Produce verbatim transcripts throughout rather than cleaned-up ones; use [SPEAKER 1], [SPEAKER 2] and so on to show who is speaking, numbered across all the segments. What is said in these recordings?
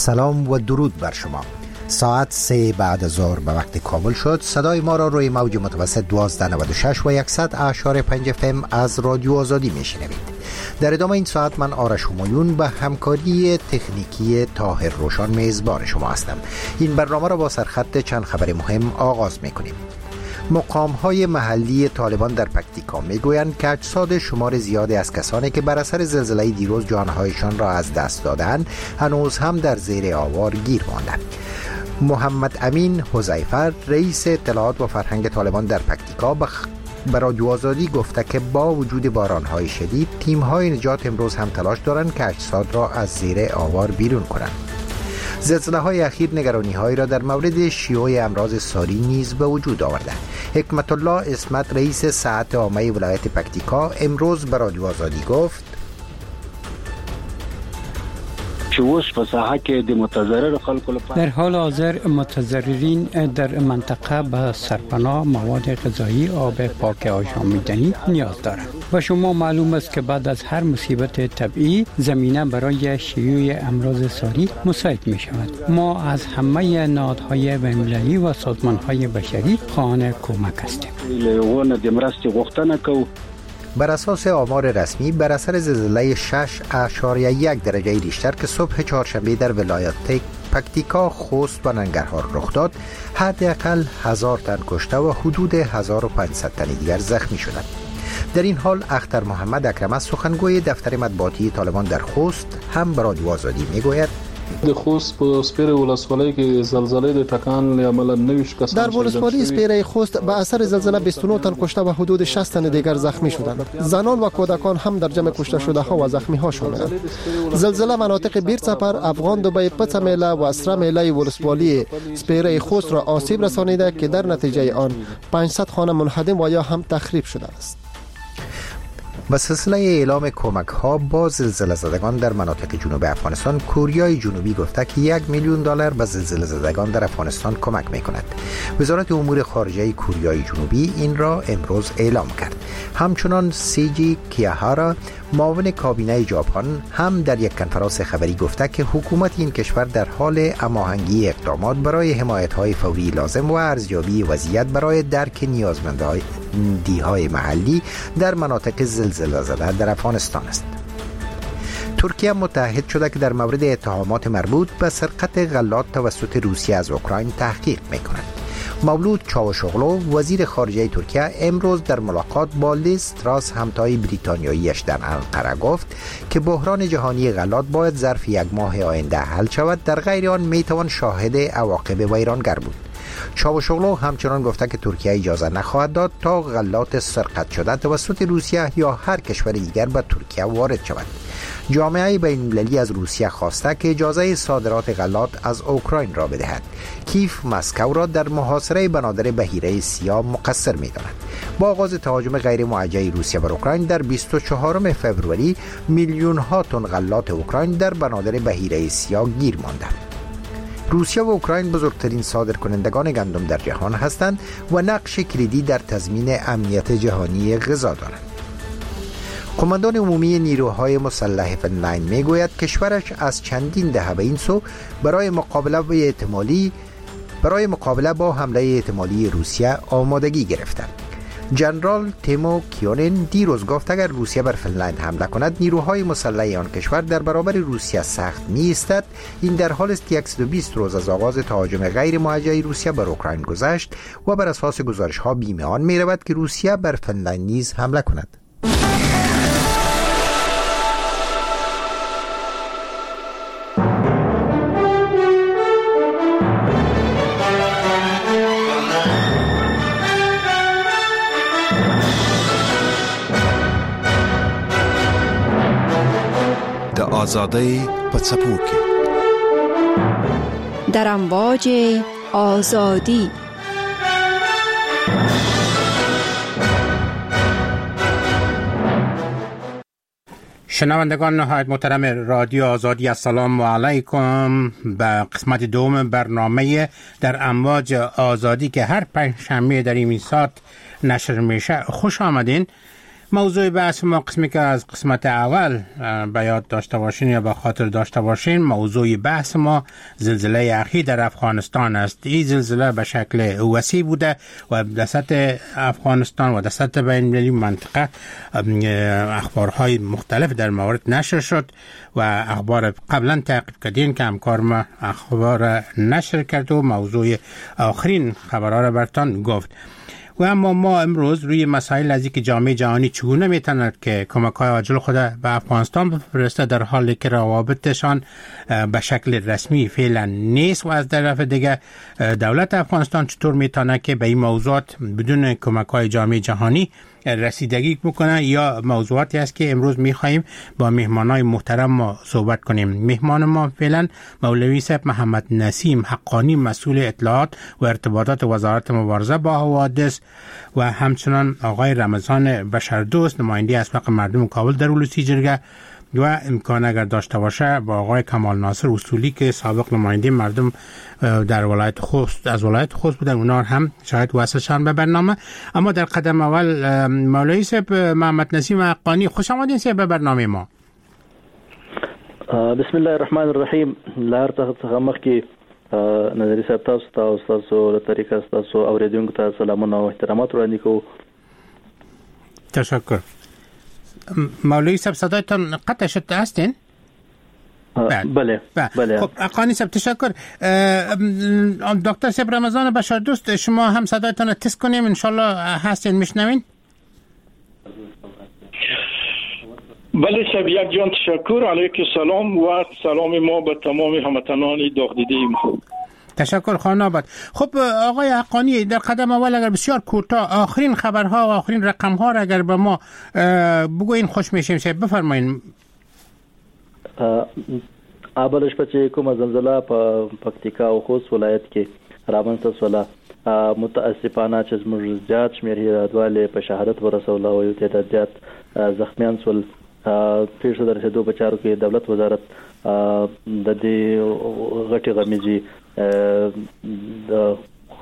[SPEAKER 1] سلام و درود بر شما. ساعت سه بعد از ظهر به وقت کابل شد. صدای ما را روی موج متوسط دوازده نود و شش و صد اعشاریه پنج اف ام از رادیو آزادی میشنوید. در ادامه این ساعت من آرش همایون به همکاری تکنیکی طاهر روشان میزبان شما هستم. این برنامه را با سرخط چند خبر مهم آغاز میکنیم. مقام های محلی طالبان در پکتیکا میگویند که اجساد شمار زیادی از کسانی که بر اثر زلزله دیروز جانهایشان را از دست دادند هنوز هم در زیر آوار گیر ماندند. محمد امین حذیفه رئیس اطلاعات و فرهنگ طالبان در پکتیکا به رادیو آزادی گفته که با وجود باران‌های شدید تیم‌های نجات امروز هم تلاش دارند که اجساد را از زیر آوار بیرون کنند. زلزله‌های اخیر نگرانی‌هایی را در مورد شیوع امراض ساری نیز به وجود آورده. حکمت الله عصمت رئیس صحت عامه ولایت پکتیکا امروز به رادیو آزادی گفت:
[SPEAKER 2] در حال حاضر متضررین در منطقه به سرپناه، مواد غذایی، آب پاک آشامیدنی نیاز دارند. و شما معلوم است که بعد از هر مصیبت طبیعی زمینه برای شیوع امراض ساری مساعد می شود. ما از همه نهادهای بین‌المللی و سازمان‌های بشری خواهان کمک هستیم.
[SPEAKER 1] بر اساس آمار رسمی بر اثر زلزله شش اعشاریه یک درجه ریشتر که صبح چهارشنبه در ولایت پکتیکا، خوست و ننگرهار رخ داد، حداقل هزار تن کشته و حدود هزار و پانصد تن دیگر زخمی شدند. در این حال اختر محمد اکرم سخنگوی دفتر مطبوعاتی طالبان در خوست هم به رادیو آزادی میگوید:
[SPEAKER 3] د خوست په سپیره ولسوالۍ کې زلزلې د ټکان له امله نوي کسان
[SPEAKER 4] در ولسوالی سپیره خوست به اثر زلزله بیست و نه تن کشته و حدود شصت تن دیگر زخمی شدند. زنان و کودکان هم در جمع کشته شده ها و زخمی ها شدند. زلزله مناطق بیرڅپر، افغان دوبی، پڅه میله و سره میله ولسوالی سپیره خوست را آسیب رسانیده که در نتیجه آن پانصد خانه منهدم و یا هم تخریب شده است.
[SPEAKER 1] به سلسله اعلام کمک ها با زلزله زدگان در مناطق جنوب افغانستان، کوریای جنوبی گفته که یک میلیون دلار به زلزله زدگان در افغانستان کمک می کند. وزارت امور خارجه کوریای جنوبی این را امروز اعلام کرد. همچنان سیجی کیاهارا معاون کابینه ژاپن هم در یک کنفرانس خبری گفته که حکومت این کشور در حال هماهنگی اقدامات برای حمایت های فوری لازم و ارزیابی وضعیت برای درک نیازمندی‌های محلی در مناطق زلزله زده در افغانستان است. ترکیه متعهد شده که در مورد اتهامات مربوط به سرقت غلات توسط روسیه از اوکراین تحقیق می‌کند. مولود چاوشوغلو وزیر خارجه ترکیه امروز در ملاقات با لیز تراس همتای بریتانیاییش در انقره گفت که بحران جهانی غلات باید ظرف یک ماه آینده حل شود، در غیر آن میتوان شاهد عواقب ویرانگر بود. چاوشوغلو همچنان گفته که ترکیه اجازه نخواهد داد تا غلات سرقت شده توسط روسیه یا هر کشور دیگر به ترکیه وارد شود. جامعه بین‌المللی از روسیه خواسته که اجازه صادرات غلات از اوکراین را بدهد. کیف مسکو را در محاصره بنادر بحیره سیاه مقصر می‌داند. با آغاز تهاجم غیر موجه روسیه بر اوکراین در بیست و چهارم فوریه میلیون ها تن غلات اوکراین در بنادر بحیره سیاه گیر ماندند. روسیه و اوکراین بزرگترین صادرکنندگان گندم در جهان هستند و نقش کلیدی در تضمین امنیت جهانی غذا دارند. قماندان عمومی نیروهای مسلح فنلند میگوید کشورش از چندین دهه به این سو برای مقابله با احتمالی برای مقابله با حمله احتمالی روسیه آمادگی گرفته. جنرال تیمو کیونن دیروز گفت اگر روسیه بر فنلند حمله کند نیروهای مسلح آن کشور در برابر روسیه سخت می ایستد. این در حال است که صد و بیست روز از آغاز تهاجم غیر موجه روسیه بر اوکراین گذشت و بر اساس گزارش ها بیمه آن می رود که روسیه بر فنلند نیز حمله کند.
[SPEAKER 5] آزادۍ په څپو کې
[SPEAKER 6] در امواج آزادی.
[SPEAKER 7] شنوندگان نهایت محترم رادیو آزادی، السلام علیکم. به قسمت دوم برنامه در امواج آزادی که هر پنجشنبه در این ساعت نشر میشه خوش آمدین. موضوع بحث ما قسمی که از قسمت اول به یاد داشته باشین یا به خاطر داشته باشین، موضوع بحث ما زلزله اخیر در افغانستان است. این زلزله به شکل وسیع بوده و در سطح افغانستان و در سطح بین المللی منطقه اخبارهای مختلف در مورد نشر شد و اخبار قبلا تعقیب کردین که همکار ما اخبار نشر کرد و موضوع آخرین خبرها را برتان گفت. و اما ما امروز روی مسائل از اینکه جامعه جهانی چگونه میتواند که کمک‌های عاجل خود به افغانستان بفرسته در حالی که روابطشان به شکل رسمی فعلا نیست، و از طرف دیگه دولت افغانستان چطور میتونه که به این موضوعات بدون کمک‌های جامعه جهانی رسیدگی بکنه، یا موضوعاتی است که امروز میخواهیم با مهمانای محترم ما صحبت کنیم. مهمان ما فعلا مولوی صاحب محمد نسیم حقانی، مسئول اطلاعات و ارتباطات وزارت مبارزه با حوادث، و همچنان آقای رمضان بشردوست، نماینده اسبق مردم کابل در ولسی جرگه، و امکان اگر داشته باشه با آقای کمال ناصر اصولی که سابق نماینده مردم در ولایت خوست از ولایت خوست بودن، اونا هم شاید وصلشان به برنامه. اما در قدم اول مولوی صاحب محمد نسیم حقانی، خوش آمدین صاحب به برنامه ما.
[SPEAKER 8] بسم الله الرحمن الرحیم. له هر څه څخه مخکې نظري صاحب تاسو ته او ستاسو له طریقه ستاسو اورېدونکو ته سلامونه او احترامات وړاندې کوو.
[SPEAKER 7] تشکر. مولوی صاحب صدایتان قطع شد، هستین؟
[SPEAKER 8] بله بله.
[SPEAKER 7] خب حقانی صاحب تشکر. دکتر صاحب رمضان بشردوست، شما هم صدایتان رو تست کنیم انشالله. هستین میشنوین؟
[SPEAKER 9] بله صاحب، یک جان تشکر. علیک سلام و سلام ما به تمام هموطنان داغ دیده ما.
[SPEAKER 7] تشکر خانم آباد. خب آقای حقانی، در قدم اول اگر بسیار کوتاه آخرین خبرها و آخرین رقمها را اگر به ما بگوین خوش میشیم. صاحب بفرمایین.
[SPEAKER 8] اول شپه چې کومه زلزله په پکتیکا او خوست ولایت کې رامنځته شوله، متاسفانه چې زموږ زیات شمېر هېوادوال یې په شهادت ورسوله او یو تعداد زیات زخمیان شول. پېښو د رسېدو په چارو کې دولت وزارت د دې غټې غمیزې د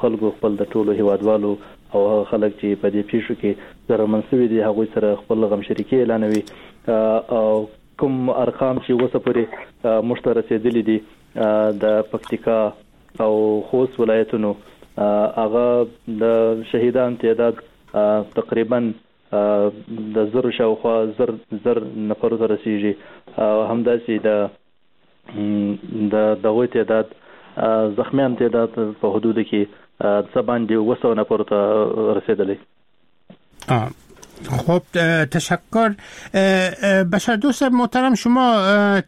[SPEAKER 8] خلکو خپل د ټولو هیوادوالو او هغه خلک چې په دې پیښو کې ضررمن شوي دي هغوی سره خپل غمشریکي اعلانوي. او کوم ارقام چې اوسه پورې موږ ته رسېدلي دي د پکتیکا او خوست ولایتونو، هغه د شهیدان تعداد تقریبا د زرو شاوخوا زر زر نفرو ته رسیږي، او همداسې د د دغوی تعداد زخمیان تعداد په حدودو کې څه باندې اووه سوه نفرو ته رسېدلی.
[SPEAKER 7] خب تشکر. بشر دوست محترم، شما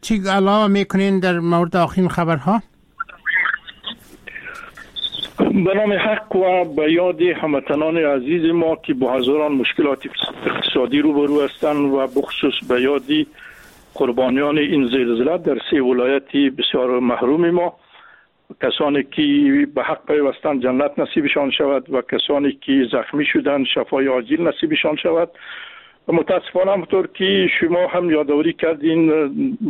[SPEAKER 7] چی علاوه میکنین در مورد آخرین خبرها؟
[SPEAKER 9] به نام حق و به یاد هموطنان عزیز ما که با هزاران مشکلات اقتصادی روبرو هستند و بخصوص به یاد قربانیان این زلزله در سه ولایت بسیار محروم ما، کسانی که به حق پیوستند جنت نصیبشان شود و کسانی که زخمی شدند شفای عاجل نصیبشان شود. متاسفانه همطور که شما هم یادآوری کردین،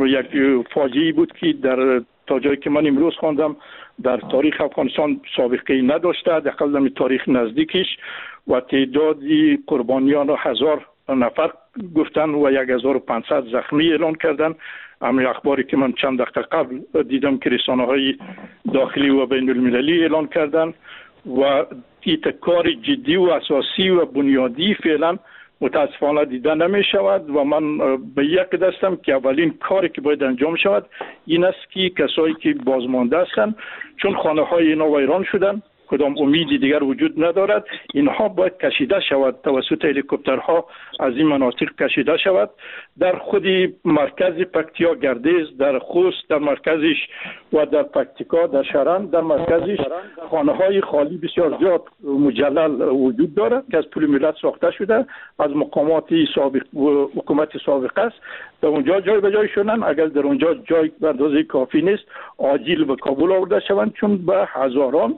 [SPEAKER 9] یک فاجعه بود که در تا جایی که من امروز خواندم در تاریخ افغانستان سابقه نداشته، حداقل در تاریخ نزدیکش، و تعداد قربانیان را هزار نفر گفتن و یک هزار و پانصد زخمی اعلان کردن. اما اخباری که من چند دقیقه قبل دیدم که رسانه‌های داخلی و بین المللی اعلان کردن و کار جدی و اساسی و بنیادی فعلا متاسفانه دیده نمی شود و من به یک دستم که اولین کاری که باید انجام شود این است که کسایی که بازمانده هستند، چون خانه های اینا ویران شدن، کدام امیدی دیگر وجود ندارد، اینها باید کشیده شود توسط هلیکوپترها از این مناطق کشیده شود. در خود مرکز پکتیا گردیز، در خوست در مرکزش و در پکتیکا در شرن در مرکزش خانه های خالی بسیار زیاد مجلل وجود دارد که از پول ملت ساخته شده، از مقامات سابق حکومت سابق است، در اونجا جای به جای شدن. اگر در اونجا جای به اندازه کافی نیست، عاجل به کابل آورده شوند، چون به هزاران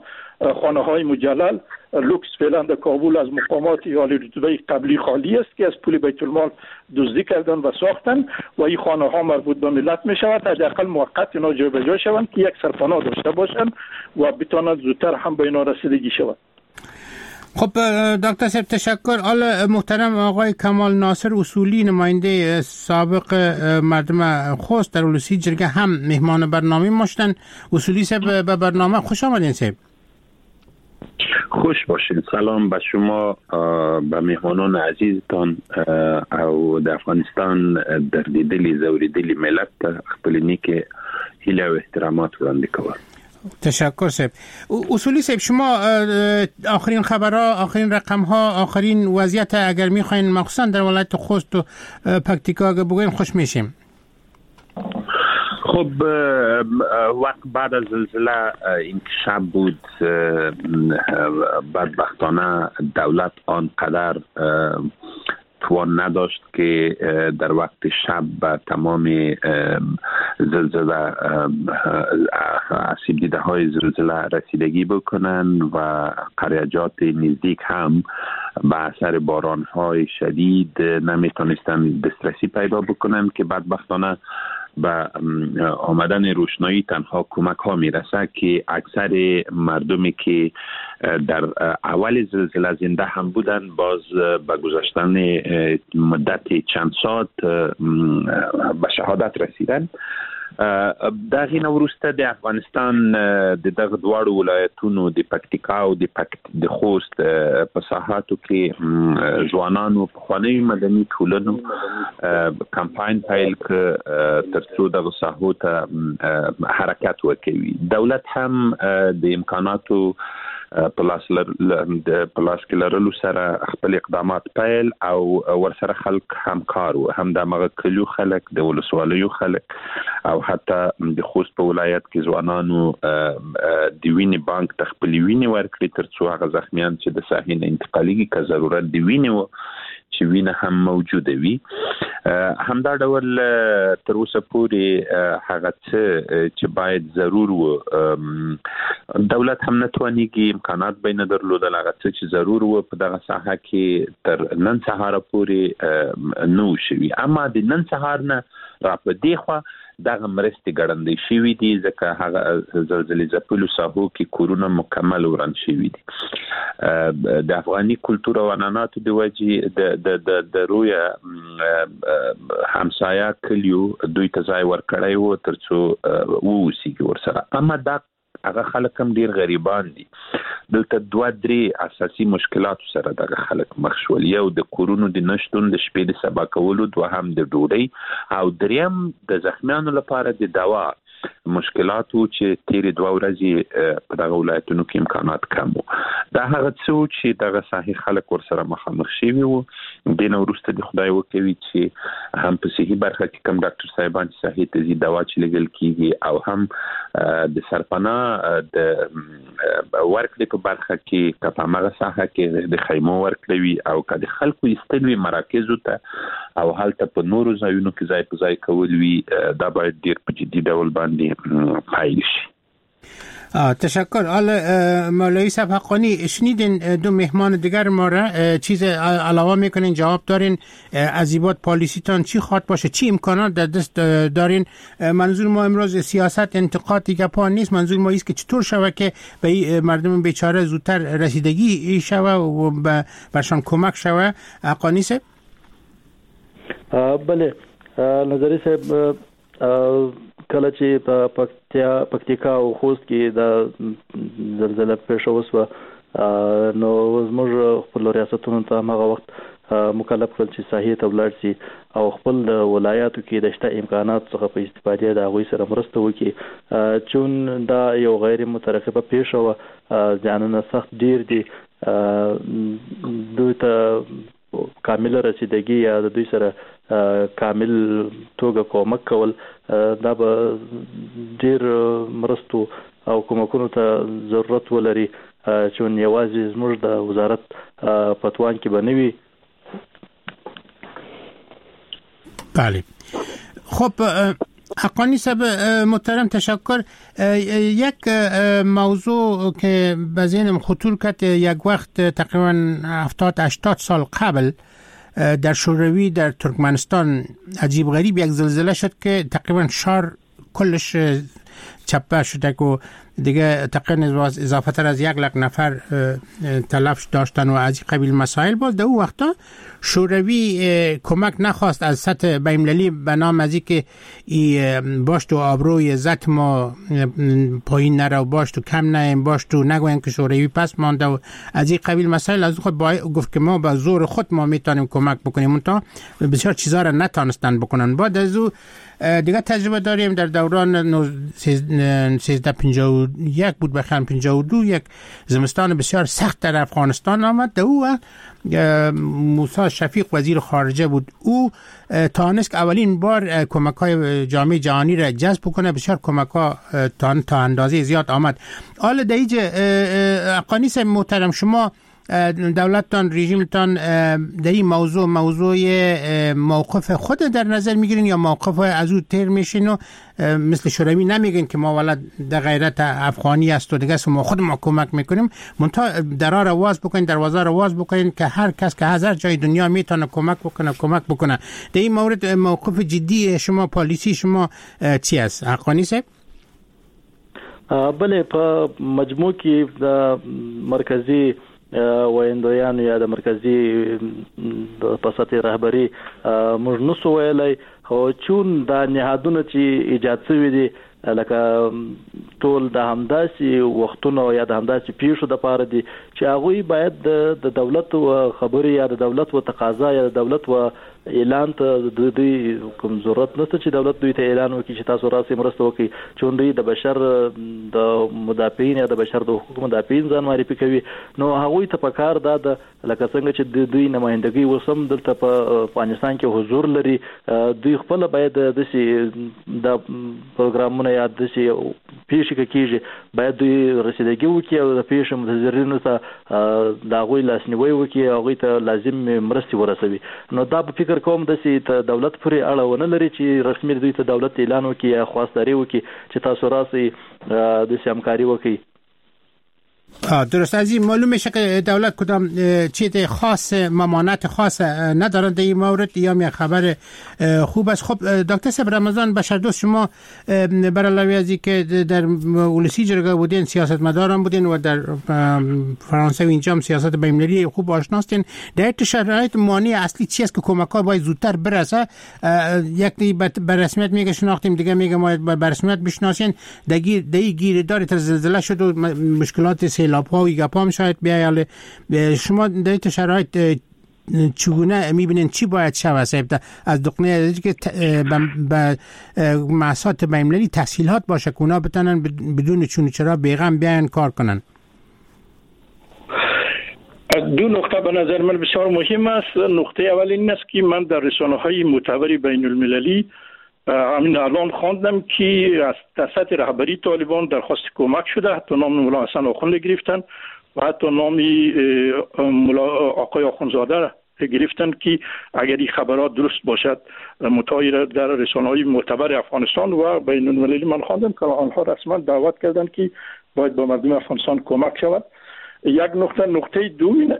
[SPEAKER 9] خانه های مجلل لوکس فعلا در کابل از مقامات عالی رتبه قبلی خالی است که از پول بیت المال دزدی کردن و ساختن و این خانه ها مربوط به ملت می شود. حداقل موقت اینا جای به جای شوند که یک سرپناه داشته باشند و بتوانند زودتر هم به اینا رسیدگی شود.
[SPEAKER 7] خب دکتر صاحب تشکر. حالا محترم آقای کمال ناصر اصولی، نماینده سابق مردم خوست در ولسی جرگه، هم مهمان برنامه ما شدن. اصولی صاحب به برنامه خوش آمدین صاحب.
[SPEAKER 10] خوش باشین. سلام به شما، به مهمانان عزیزتان او د افغانستان دردیدلی زوریدلی ملت ته خپل نیکه هیله او احترامات وړاندې کوم.
[SPEAKER 7] تشکر صاحب. اصولی صاحب، شما آخرین خبرها، آخرین رقمها، آخرین وضعیت اگر میخواین مخصوصا در ولایت خوست و پکتیکا اگر بگوین خوش میشیم.
[SPEAKER 10] خب وقت بعد از زلزله این شب بود، بدبختانه دولت آنقدر توان نداشت که در وقت شب به تمام زلزله آسیب دیده های زلزله رسیدگی بکنن و قریجات نزدیک هم به اثر باران های شدید نمیتونستن دسترسی پیدا بکنن که بدبختانه به آمدن روشنایی تنها کمک ها میرسه که اکثر مردمی که در اول زلزله زنده هم بودن باز به گذشتن مدت چند ساعت به شهادت رسیدن. دغه نه وروسته د افغانستان د دغه دواړو ولایتونو د پکتیکا او د پکت د خوست په ساحاتو کې ځوانانو پخوانیو مدني ټولنو کمپاین پیل کړ ترڅو دغه ساحو ته حرکت وکوي. دولت هم د امکاناتو په لاس په لاس کې لرلو سره خپل اقدامات پیل او ورسره خلک همکار وو، هم د هغه کلیو خلک، د ولسوالیو خلک او حتی د خوست په ولایت کې ځوانانو د وینې بانک ته خپلې وینې ورکړې ترڅو هغه زخمیان چې د ساحې نه انتقالیږي که ضرورت د وینې و چې وینه هم موجوده وي. همدا ډول تر اوسه پورې هغه څه چې باید ضرور و دولت هم نه توانیږي، امکانات به نه درلودل، هغه څه چې ضرور و په دغه ساحه کې تر نن سهاره پورې نه و شوي. اما د نن سهار نه را په دې خوا دغه مرستې ګړندۍ شوي دي، ځکه هغه زلزلې ځپلو ساحو کې کورونه مکمل وران شوي دي. د افغاني کلتور او عنعناتو د وجې د د د د رویه همسایه کلیو دوی ته ځای ورکړی و ترڅو واوسیږي ورسره. اما دا هغه خلک هم ډیر غریبان دي. دلته دوه درې اساسي مشکلاتو سره دغه خلک مخ شول. یو د کورونو د نشتون، د شپې د سبا کولو، دوهم د ډوډۍ، او دریم د زخمیانو لپاره د دوا مشکلاتو چې تیرې دوه ورځې په دغه ولایتونو کې امکانات کم وو. دا هغه څه وو چې دغه ساحې خلک ورسره مخامخ شوي وو. دې نه وروسته د خدای وکوي چې هم په صحي برخه کې کوم ډاکټر صاحبان چې ساحې ته ځي دوا چې لېږل کېږي، او هم د سرپناه د ورکړې په برخه کې که په هماغه ساحه کې د خیمو ورکړې وي او که د خلکو ایستل وي مراکزو ته او هلته په نورو ځایونو کې ځای په ځای کول وي، دا باید ډېر په جدي ډول باندې پیل شي.
[SPEAKER 7] تشکر. حالا مولوی صاحب حقانی، شنیدین دو مهمان دیگر ما را، چیز علاوه میکنین، جواب دارین؟ از ایباد پالیسی تان چی خواد باشه، چی امکانات در دست دارین؟ منظور ما امروز سیاست انتقاد دیگه پا نیست، منظور ما ایست که چطور شوه که به مردم بیچاره زودتر رسیدگی شوه و برشان کمک شوه. حقانی صاحب.
[SPEAKER 8] بله نظری صاحب، کله چې په پکتیا پکتیکا او خوست کې د زلزله پېښه وشوه نو زموږ خپل ریاستونو ته هماغه وخت مکلف کړل چې ساحې ته ولاړ شي او خپل د ولایاتو کې د شته امکاناتو څخه په استفادې د هغوی سره مرسته وکړي. چون دا یو غیر مترقبه پېښه وه، زیانونه سخت ډېر دي، دوی ته کامله رسیدګي یا د دوی سره کامل توګه کومک کول دا به ډېر مرستو او کومکونو ته ضرورت ولري، چون یوازې زموږ د وزارت په توان کې به نه وي.
[SPEAKER 7] بله. خب حقانی صاحب محترم تشکر. یک موضوع که به ذهنم خطور کرد، یک وقت تقریبا هفتاد هشتاد سال قبل در شوروی در ترکمنستان عجیب غریب یک زلزله شد که تقریبا شهر کلش چپه شده که دیگه تقریبا اضافه تر از یک لک نفر تلف داشتن و از قبیل مسائل. باز در اون وقتا شوروی کمک نخواست از سطح بین‌المللی به نام از اینکه باش تو آبروی عزت ما پایین نره و باش تو کم نیم، باش تو نگوین که شوروی پس مانده و از این قبیل مسائل. از خود با گفت که ما با زور خود ما میتونیم کمک بکنیم، تا بسیار چیزا را نتانستن بکنن. بعد از او دیگه تجربه داریم در دوران سیزده پنجاه و یک بود بخیر پنجاه و دو، یک زمستان بسیار سخت در افغانستان آمد. در او وقت موسی شفیق وزیر خارجه بود، او تانست که اولین بار کمک های جامعه جهانی را جذب کنه، بسیار کمک ها تا, تا اندازه زیاد آمد. حالا در اینجا حقانی صاحب محترم، شما دولتتان رژیمتان در این موضوع موضوع موقف خود در نظر میگیرین یا موقف از او تیر میشین و مثل شوروی نمیگین که ما ولد در غیرت افغانی است و دیگه ما خود ما کمک میکنیم، منتها درا را واز بکنین، دروازه را واز بکنین که هر کس که هزار جای دنیا میتونه کمک بکنه کمک بکنه. در این مورد موقف جدی شما، پالیسی شما چی است حقانی صاحب؟
[SPEAKER 8] بله، په مجموع کې د مرکزی ویندویانو یا د مرکزی په سطح رهبری موږ نسو ویلی، خو چون دا نهادونه چې ایجاد شوي دي لکه ټول د همداسې وختونو یا د همداسې پیښو دپاره دي چې هغوی باید د دولت و خبرې یا د دولت و تقاضا یا د دولت و اعلان ته د دوی کوم ضرورت نشته چې دولت دوی ته اعلان وکړي چې تاسو راسئ مرسته وکړئ، چون دوی د بشر د مدافعین یا د بشر د حقوقو مدافعین ځان معرفي کوي. نو هغوی ته پکار دا ده لکه څنګه چې د دوی نمایندګي اوس هم دلته په افغانستان کې حضور لري، دوی خپله باید داسې دا پروګرامونه یا داسې پیښې که کېږي باید دوی رسیدګي وکړي او د پیښې متضررینو ته د هغوی لاسنیوی وکړي، هغوی ته لازم مرستې ورسوي. نو دا په فکر کوم داسې ته دولت پورې اړه ونه لري چې رسمي دوی ته دولت اعلان وکړي یا خواستداري وکړي چې تاسو راسئ داسې همکاري وکړئ.
[SPEAKER 7] درست، از این معلوم میشه که دولت کدام چیز خاص ممانعت خاص ندارند در این مورد، یا می خبر خوب است. خب دکتر صاحب رمضان بشردوست، شما بر علاوه از اینکه در ولسی جرگه بودین، سیاستمدارم بودین و در فرانسه و اینجا هم سیاست بین‌المللی خوب آشناستین، در این شرایط مانع اصلی چی است که کمک‌ها باید زودتر برسه؟ یک به رسمیت میگه شناختیم، دیگه میگه ما به رسمیت بشناسین، دیگه دیگه گیردار تر زلزله شد و مشکلات سیلاب ها و گپا هم شاید بیایه. شما در این شرایط چگونه میبینین چی باید شود از دقنه که به مؤسسات بین‌المللی تسهیلات باشه که اونا بتونن بدون چون چرا بیغم بیاین کار کنن؟
[SPEAKER 9] دو نقطه به نظر من بسیار مهم است. نقطه اول این است که من در رسانه‌های معتبر بین المللی همین الان خواندم که از سطح رهبری طالبان درخواست کمک شده، حتی نام ملا حسن آخوند گرفتن و حتی نام ملا آقای آخوندزاده گرفتن که اگر این خبرات درست باشد متغیر در رسانه‌های معتبر افغانستان و بین المللی من خواندم که آنها رسما دعوت کردند که باید با مردم افغانستان کمک شود. یک نقطه. نقطه دوم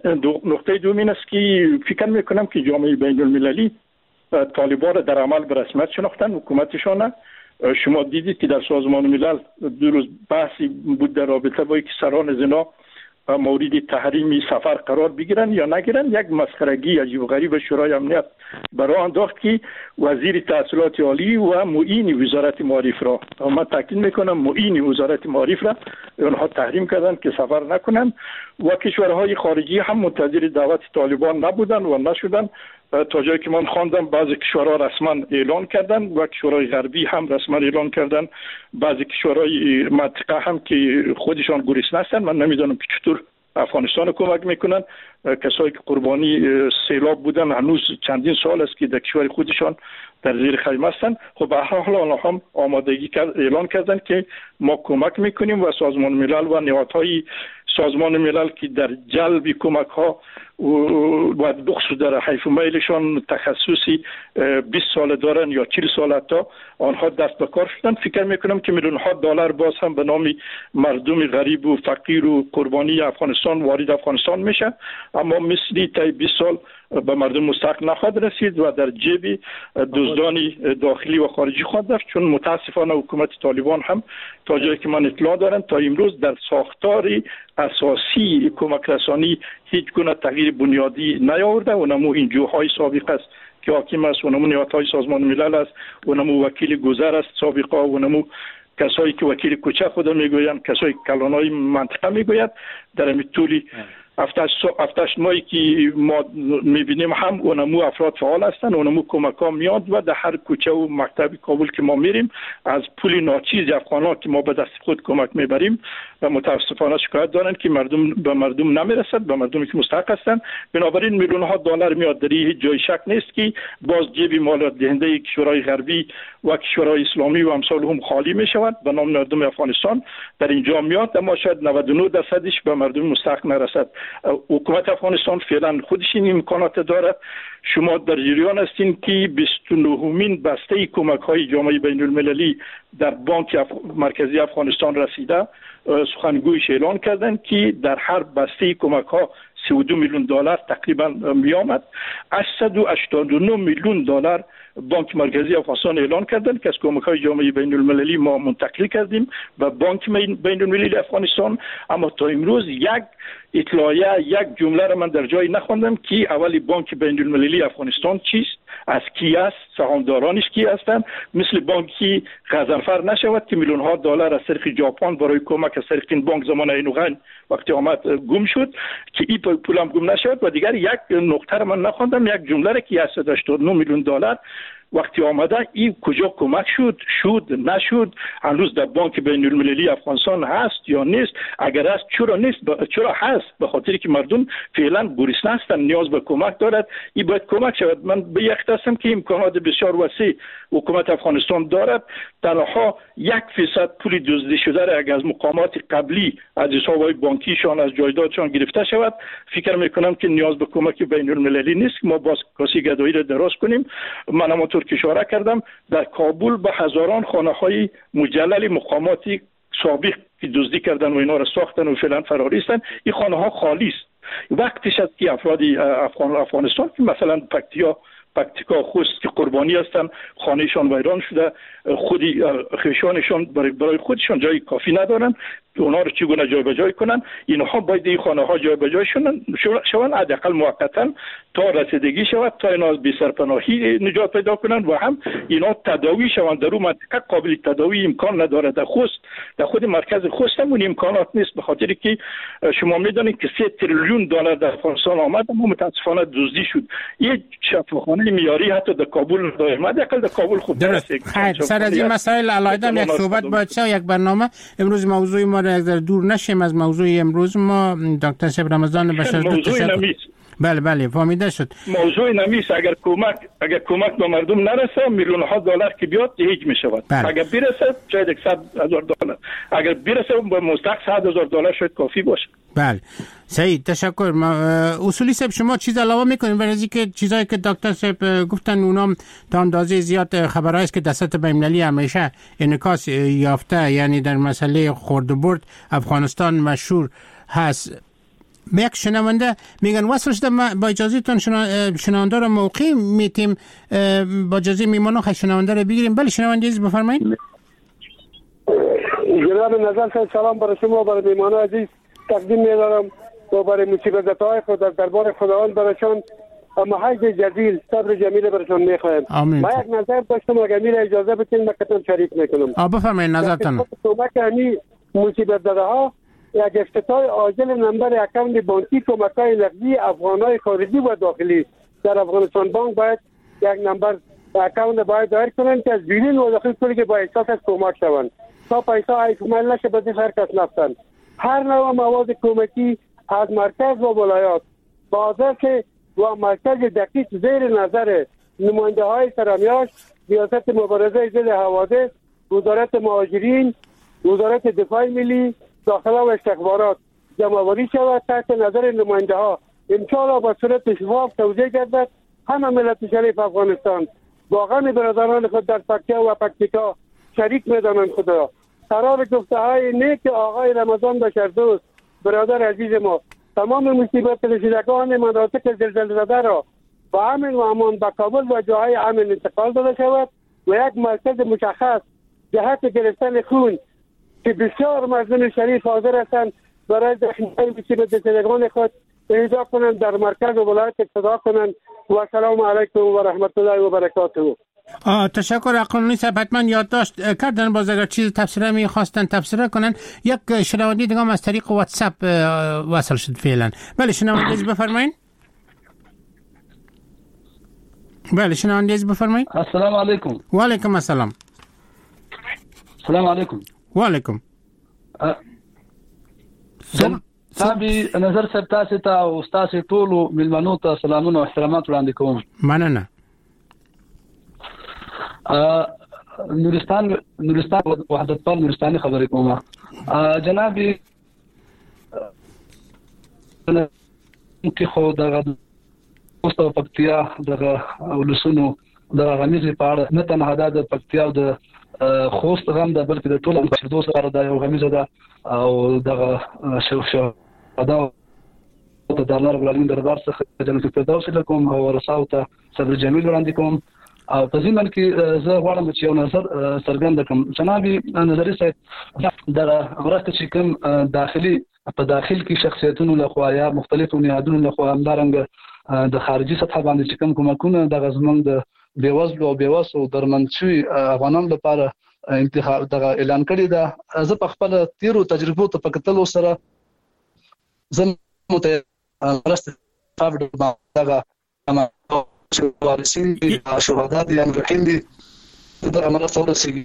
[SPEAKER 9] نقطه دوم این است که فکر میکنم که جامعه بین المللی طالبان را در عمل به رسمیت شناختن، حکومتشان. شما دیدید که در سازمان ملل دو روز بحثی بود در رابطه با اینکه سران زنا مورد تحریم سفر قرار بگیرن یا نگیرن. یک مسخرگی عجیب و غریب شورای امنیت برای انداخت که وزیر تحصیلات عالی و معین وزارت معارف را، من تاکید میکنم معین وزارت معارف را آنها تحریم کردند که سفر نکنند و کشورهای خارجی هم منتظر دعوت طالبان نبودند و نشدند. تا جایی که من خواندم بعضی کشورها رسما اعلان کردند و کشورهای غربی هم رسما اعلان کردند، بعضی کشورهای منطقه هم که خودشان گریز هستند، من نمیدانم که چطور افغانستان کمک میکنن. کسایی که قربانی سیلاب بودن هنوز چندین سال است که در کشور خودشان در زیر خیمه هستند. خب به هر حال آنها هم آمادگی کرد، اعلان کردند که ما کمک میکنیم و سازمان ملل و نهادهای سازمان ملل که در جلب کمک ها و بخصوص در حیف و میلشان تخصصی بیست سال دارن یا چهل سال حتی، آنها دست به کار شدن. فکر میکنم که میلیون ها دلار باز هم به نام مردم غریب و فقیر و قربانی افغانستان وارد افغانستان میشه، اما مثلی تا بیست سال به مردم مستحق نخواهد رسید و در جیب دزدان داخلی و خارجی خواهد رفت. چون متاسفانه حکومت طالبان هم تا جایی که من اطلاع دارم تا امروز در ساختار اساسی کمک رسانی هیچ گونه تغییر بنیادی نیاورده و نمو این جوهای سابق است که حاکم است و نمو نهادهای سازمان ملل است و نمو وکیل گذر است سابقه و نمو کسایی که وکیل کوچه خود میگویند، کسایی که کلانای منطقه میگوید. در این طولی هفتش ماهی که ما میبینیم هم اونمو افراد فعال هستند، اونمو کمک ها میاد و در هر کوچه و مکتب کابل که ما میریم از پول ناچیز افغان ها که ما به دست خود کمک میبریم و متاسفانه شکایت دارند که مردم به مردم نمیرسد، به مردمی که مستحق هستند. بنابراین میلیون ها دلار میاد، در هیچ جای شک نیست که باز جیب مال دهنده کشورهای غربی و کشورهای اسلامی و امثال هم خالی میشود به نام مردم افغانستان در اینجا میاد، اما شاید نود و نه درصدش به مردم مستحق نرسد. حکومت افغانستان فعلا خودش این امکانات دارد. شما در جریان هستین که بیست و نهمین بسته کمک های جامعه بین المللی در بانک اف... مرکزی افغانستان رسیده. سخنگویش اعلان کردند که در هر بسته کمک ها سی و دو میلیون دلار تقریبا می آمد. هشتصد و هشتاد و نه میلیون دلار بانک مرکزی افغانستان اعلان کردند که از کمک های جامعه بین المللی ما منتقل کردیم به بانک بین المللی افغانستان. اما تا امروز یک اطلاعیه، یک جمله را من در جایی نخواندم که اولی بانک بین المللی افغانستان چیست، از کی است، سهامدارانش کی هستند. مثل بانکی غضنفر نشود که میلیون ها دلار از طریق ژاپن برای کمک از طریق این بانک زمان اینوغن وقتی آمد گم شد که این پول هم گم نشود. و دیگر یک نقطه را من نخواندم، یک جمله را که هشتصد و هشتاد و نه میلیون دلار وقتی آمده این کجا کمک شد، شد نشد، هنوز در بانک بین المللی افغانستان هست یا نیست؟ اگر هست چرا نیست؟ چرا هست؟ به خاطر که مردم فعلا گرسنه هستند، نیاز به کمک دارد، این باید کمک شود. من به یک هستم که امکانات بسیار وسیع حکومت افغانستان دارد. تنها یک فیصد پول دزدی شده را اگر از مقامات قبلی از حساب‌های بانکیشان از جایدادشان گرفته شود، فکر میکنم که نیاز به کمک بین المللی نیست. ما باز کاسی گدایی را دراز کنیم. من همانطور که اشاره کردم در کابل به هزاران خانه های مجلل مقاماتی سابق که دزدی کردن و اینا را ساختن و فعلا فراری هستند، این خانه ها خالی است. وقتش است که افراد افغان افغانستان که مثلا پکتیا پکتیکا خوست که قربانی هستند، خانهشان ویران شده، خودی خویشانشان برای خودشان جای کافی ندارن، اونها رو چگونه جای به جای کنن؟ اینها باید این خانه ها جای به جای شوند، حداقل موقتا تا رسیدگی شود، تا اینا از بی سرپناهی نجات پیدا کنن و هم اینا تداوی شوند. در اون منطقه قابل تداوی امکان نداره. در خوست، در خود مرکز خوست هم اون امکانات نیست، به خاطر که شما میدونید که سه تریلیون دلار در افغانستان آمد اما متاسفانه دزدی شد. یک شفاخانه معیاری حتی در کابل نداره، حداقل در کابل خوب
[SPEAKER 7] درست. خیر، سر از این مسائل علاوه یک صحبت باید شد، یک برنامه. امروز موضوع ما را اگر دور نشیم از موضوع امروز ما، دکتر صاحب رمضان بشر
[SPEAKER 9] موضوع
[SPEAKER 7] بله بله فهمیده شد.
[SPEAKER 9] موضوع نمیست. اگر کمک اگر کمک به مردم نرسه، میلیون ها دلار که بیاد هیچ میشود. بله. اگر برسه شاید صد هزار دلار، اگر برسه به مستحق صد هزار دلار شاید کافی باشه.
[SPEAKER 7] بله سعید تشکر. ما اصولی صاحب شما چیز علاوه میکنیم برای اینکه چیزایی که دکتر صاحب گفتن اونام تا اندازه زیاد خبرهایی است که در سطح بین‌المللی همیشه انعکاس یافته، یعنی در مسئله خرد و برد افغانستان مشهور هست. به یک شنونده میگن وصل شده، ما با اجازه تون شنونده رو موقع میتیم، با اجازه میمانو خیلی شنونده رو بگیریم. بله شنونده عزیز بفرمایید.
[SPEAKER 11] جناب نظر صاحب سلام برای شما برای میمانو عزیز تقدیم می‌دارم و برای مصیبت‌های خود در دربار خداوند برایشان اما حج جزیل صبر جمیل برایشان می‌خواهم. ما یک نظر داشتم اگر میره اجازه بدین من قطعا شریک میکنم.
[SPEAKER 7] آ بفرمایید نظرتون.
[SPEAKER 11] کمک همی مصیبت زده ها یک افتتاح عاجل نمبر account بانکی کمک‌های نقدی افغان‌های خارجی و داخلی در افغانستان بانک باید یک نمبر account باید دایر کنند که از بیرون و داخل پولی که با احساس از کمک شوند تا پیسه ایفومل نشه به هر کس نفتند. هر نوع مواد کمکی از مرکز و ولایات با آدرس و مرکز دقیق زیر نظر نماینده های سرامیاش، ریاست مبارزه ضد حوادث، وزارت مهاجرین، وزارت دفاع ملی، داخله و استخبارات جمع‌آوری شود تحت نظر نماینده ها. انشاءالله با صورت شفاف توزیع گردد. همه ملت شریف افغانستان با غم برادران خود در پکتیا و پکتیکا شریک می‌دانند خود را. قرار گفته های نیک آقای رمضان بشردوست برادر عزیز ما تمام مصیبت رسیدگان مناطق زلزله زده را با امن و امان به کابل و جاهای امن انتقال داده شود و یک مرکز مشخص جهت گرفتن خون که بسیار مردم شریف حاضر هستند برای زخمی‌های مصیبت زدگان خود پیدا کنند در مرکز و ولایت اقتدا کنند. و سلام علیکم و رحمت الله و برکاته.
[SPEAKER 7] تشکر اقلانی صاحب، حتما یادداشت کردن. باز اگر چیز تفسیره میخواستن تفسیره کنن. یک شنونده دیگه هم از طریق واتساپ وصل شد فعلا. بله شنونده بفرمایید. بله شنونده بفرمایید.
[SPEAKER 3] السلام علیکم.
[SPEAKER 7] و علیکم السلام.
[SPEAKER 3] السلام علیکم.
[SPEAKER 7] و علیکم.
[SPEAKER 3] صاحب نظر صاحب تاسو ته او تاسو ټولو ملمنو ته سلامونه او احترامات وړاندې کوم.
[SPEAKER 7] مننه.
[SPEAKER 3] نورستان نورستان وحدت پال نورستاني خبرې کوم. جناب کې خو دغه اوس په پکتیا دغه ولسونو دغه غمیزې په اړه نه تنها دا د پکتیا او د خوست غم ده، بلکې د ټولو بشردوست لپاره دا یو غمیزه ده او دغه شهدا ته د الله رب العالمین دربار څخه جنت الفردوس لکم او ورثاو ته صبر جمیل وړاندې کوم. او په ضمن کې زه غواړم چې یو نظر څرګند کړم. جناب نظري صاحب، دغه مرسته چې کوم داخلي په داخل کې شخصیتونو لخوا یا مختلفو نهادونو لخوا همدارنګه د خارجي سطح باندې چې کوم کومکونه دغه زمونږ د بېوزلو او بېوسو درمند شوي افغانانو لپاره انتخاب دغه اعلان کړې ده، زه په خپل تیرو تجربو ته په کتلو سره زه مرسته دغه وارثین دي، شهدا دي، مجروحین دي، دغه مرسته ورسېږي.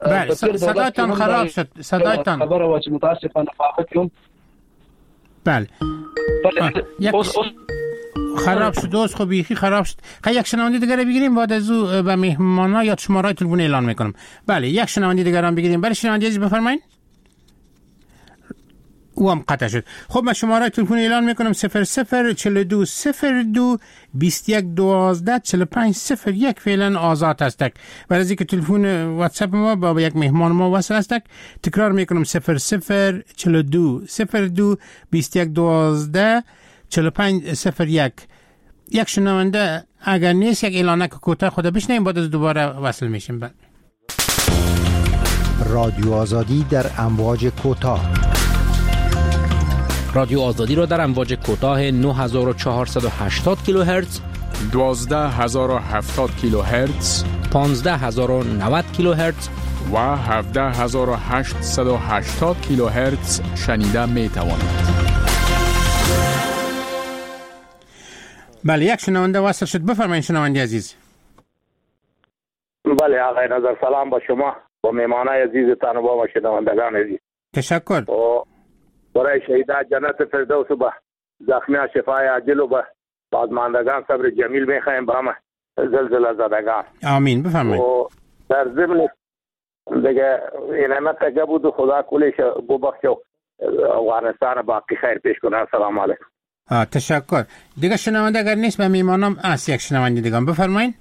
[SPEAKER 7] بله صدایتان خراب شد. صدایتان
[SPEAKER 3] خبره وه چې متاسفانه په هغه کې هم
[SPEAKER 7] بله یک خراب شد. دوست خب بیخی خراب شد. خیلی یک شنونده دیگر بگیریم بعد از او به مهمانا یا شماره تلفن اعلان میکنم. بله یک شنونده دیگر هم بگیریم. بله شنونده عزیز بفرمایید. او هم قطع شد. خب من شماره تلفن اعلان میکنم صفر صفر چهل و دو صفر دو بیست و یک دوازده چهل و پنج صفر یک فعلا آزاد هستک. برای از اینکه تلفن واتساپ ما با یک مهمان ما وصل هستک تکرار میکنم صفر صفر چهل و دو صفر دو بیست و یک دوازده چهل و پنج صفر یک. یک شنونده اگر نیست یک اعلانک کوتاه خود بشنویم بعد از دوباره وصل میشیم. بعد
[SPEAKER 1] رادیو آزادی در امواج کوتاه.
[SPEAKER 12] رادیو آزادی را در امواج کوتاه نه هزار و چهارصد و هشتاد کیلوهرتز،
[SPEAKER 13] دوازده هزار و هفتاد کیلوهرتز،
[SPEAKER 12] پانزده هزار و نود کیلوهرتز
[SPEAKER 13] و هفده هزار و هشتصد و هشتاد کیلوهرتز شنیده می توانید.
[SPEAKER 7] بله یک شنونده وصل شد. بفرمایید شنونده عزیز.
[SPEAKER 14] بله آقای نظر سلام با شما با مهمانای عزیزتان و با شنوندگان عزیز.
[SPEAKER 7] تشکر.
[SPEAKER 14] برای شهیدان جنت فردوس و به زخمیان شفای عاجل و به بازماندگان صبر جمیل میخواهیم به همه زلزله زدگان.
[SPEAKER 7] آمین. بفرمایید.
[SPEAKER 14] و در ضمن دیگه اینمه تگه بود و خدا کلش ببخشه و افغانستان باقی خیر پیش کنه. السلام علیکم.
[SPEAKER 7] تشکر. دیگه شنونده اگر نیست به میمانم است یک شنونده دیگه بفرمایید.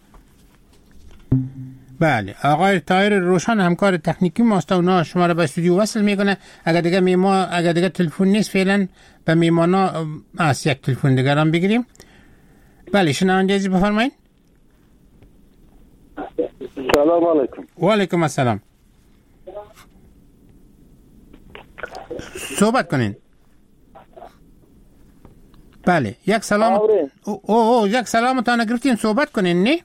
[SPEAKER 7] بله آقای طاهر روشن همکار تکنیکی ماست و اونا شما را به استودیو وصل میکنه. اگر دیگه میما اگر دیگه تلفن نیست فعلا به میمانا است یک تلفن دیگه هم بگیریم. بله شنونده عزیز بفرمایید.
[SPEAKER 15] سلام علیکم.
[SPEAKER 7] و علیکم السلام. صحبت کنین. بله یک سلام او او, او یک سلام تا نگرفتیم صحبت کنین. نه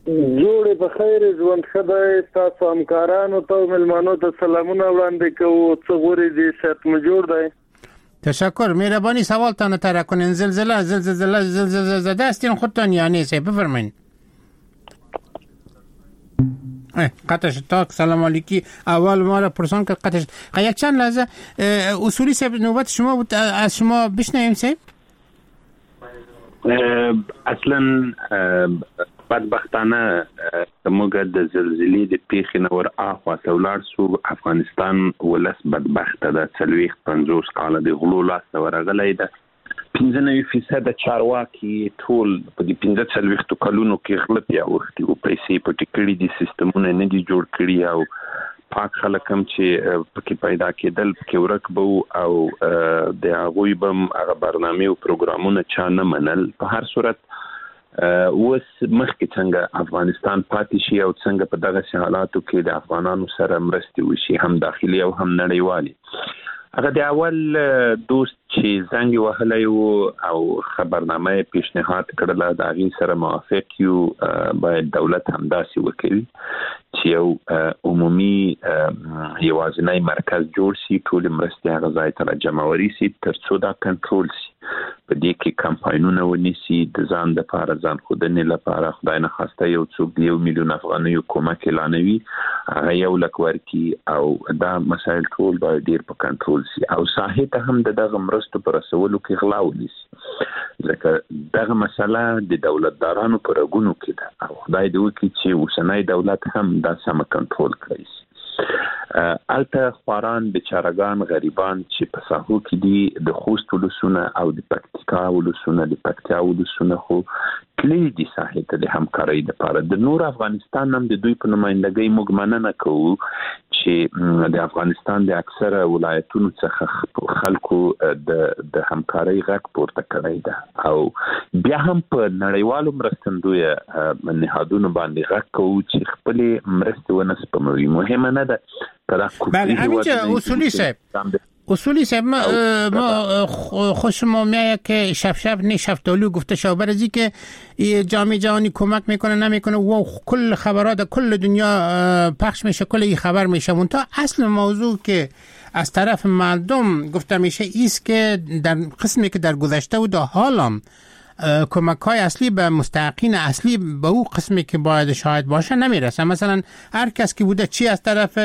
[SPEAKER 15] جوړې په خیر ژوند ښه دی. ستاسو همکارانو ته او مېلمنو ته سلامونه وړاندې کوو. څه غورې دي؟ صحت مو جوړ دی؟
[SPEAKER 7] تشکر مهربانی. سوالتان طرح کنین. زلزله زلزله زلزله زده هستین خودتان یا نیست؟ بفرمایین. قطع شد. تا سلام علیکی اول ما را پرسان کرد قطع شد. یک چند لحظه اصولی صاحب نوبت شما بود از شما بشنویم صاحب.
[SPEAKER 10] اصلا بدبختانه موږ د زلزلې د پیښې نه ور اخوا ته ولاړ سو. افغانستان ولس بدبخته ده، څلوېښت پنځوس کاله د غلو لاسته ورغلی ده. پنځه نوي فیصده چارواکي ټول په دې پنځه څلوېښتو کلونو کې غله پې اوښتي او پیسې پټې کړي دي، سیستمونه نه دي جوړ کړي او پاک خلک هم چې پکې پیدا کېدل پکې ورک به وو او د هغوی به هم هغه برنامې او پروګرامونه چا نه منل. په هر صورت اوس مخکې څنګه افغانستان پاتې شي او څنګه په دغسې حالاتو کې د افغانانو سره مرستې وشي، هم داخلي او هم نړیوالې. هغه د اول دوست چې زنګ یې وهلی و او خبرنامه یې پیشنهاد کړله، د هغې سره موافق یو. باید دولت همداسې وکوي چې یو عمومي یوازینی مرکز جوړ شي، ټولې مرستې هغه ځای ته راجمعوري شي ترڅو دا کنټرول شي. په دې کې کمپاینونه ونیسي د ځان دپاره، ځان ښودنې لپاره. خدای نخواسته یو څوک د یو میلیون افغانیو کومک اعلانوي، هغه یو لک ورکړي او دا مسایل ټول باید ډېر په کنټرول شي او ساحې ته هم د دغه مرستو په رسولو کې غلا ونیسي، ځکه دغه مسله د دولتدارانو په رګونو کې ده او خدای دې وکړي چې اوسنی دولت هم دا سمه کنټرول کړی شي. هلته خواران، بیچارهګان، غریبان چې په ساحو کې دي، د خوست ولسونه او د پکتیکا ولسونه، د پکتیا ولسونه خو تللي دي ساحې ته د همکارۍ دپاره. د نور افغانستان هم د دوی په نمایندګۍ موږ مننه کوو چې د افغانستان د اکثره ولایتونو څخه خلکو د د همکارۍ غږ پورته کړی ده او بیا هم په نړیوالو مرستندویه نهادونو باندې غږ کوو چې خپلې مرستې ونه سپموي. مهمه نه ده.
[SPEAKER 7] بله همینجا اصولی صاحب، اصولی صاحب ما, ما خوش ما میاد که شب شب نه شفتالو گفته شو برزی که جامعه جهانی کمک میکنه نمیکنه و کل خبرات کل دنیا پخش میشه، کل این خبر میشه. منتها اصل موضوع که از طرف مردم گفته میشه ایست که در قسمی که در گذشته و در حالم کمک های اصلی به مستحقین اصلی به او قسمی که باید شاید باشه نمیرسه. مثلا هر کس که بوده، چی از طرف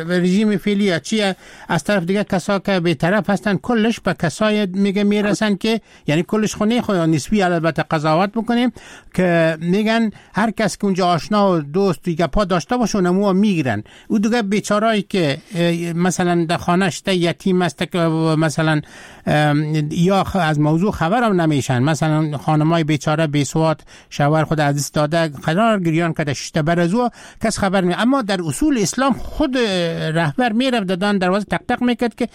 [SPEAKER 7] رژیم فعلی یا چی از طرف دیگه کسا که به طرف هستن، کلش به کسای میگه میرسن که یعنی کلش خونه خو نسبی البته قضاوت بکنیم که میگن هر کس که اونجا آشنا و دوست دیگه پا داشته باشه اونمو میگیرن. او دیگه بیچارهایی که مثلا در خانه‌اش یتیم است که مثلا یا از موضوع خبرم نمیشن، مثلا خانمای بیچاره بی سواد شوهر خود از دست داده قرار گریان کرده شده بر از او کس خبر نمی. اما در اصول اسلام خود رهبر میرفت دادن دروازه تق تق میکرد که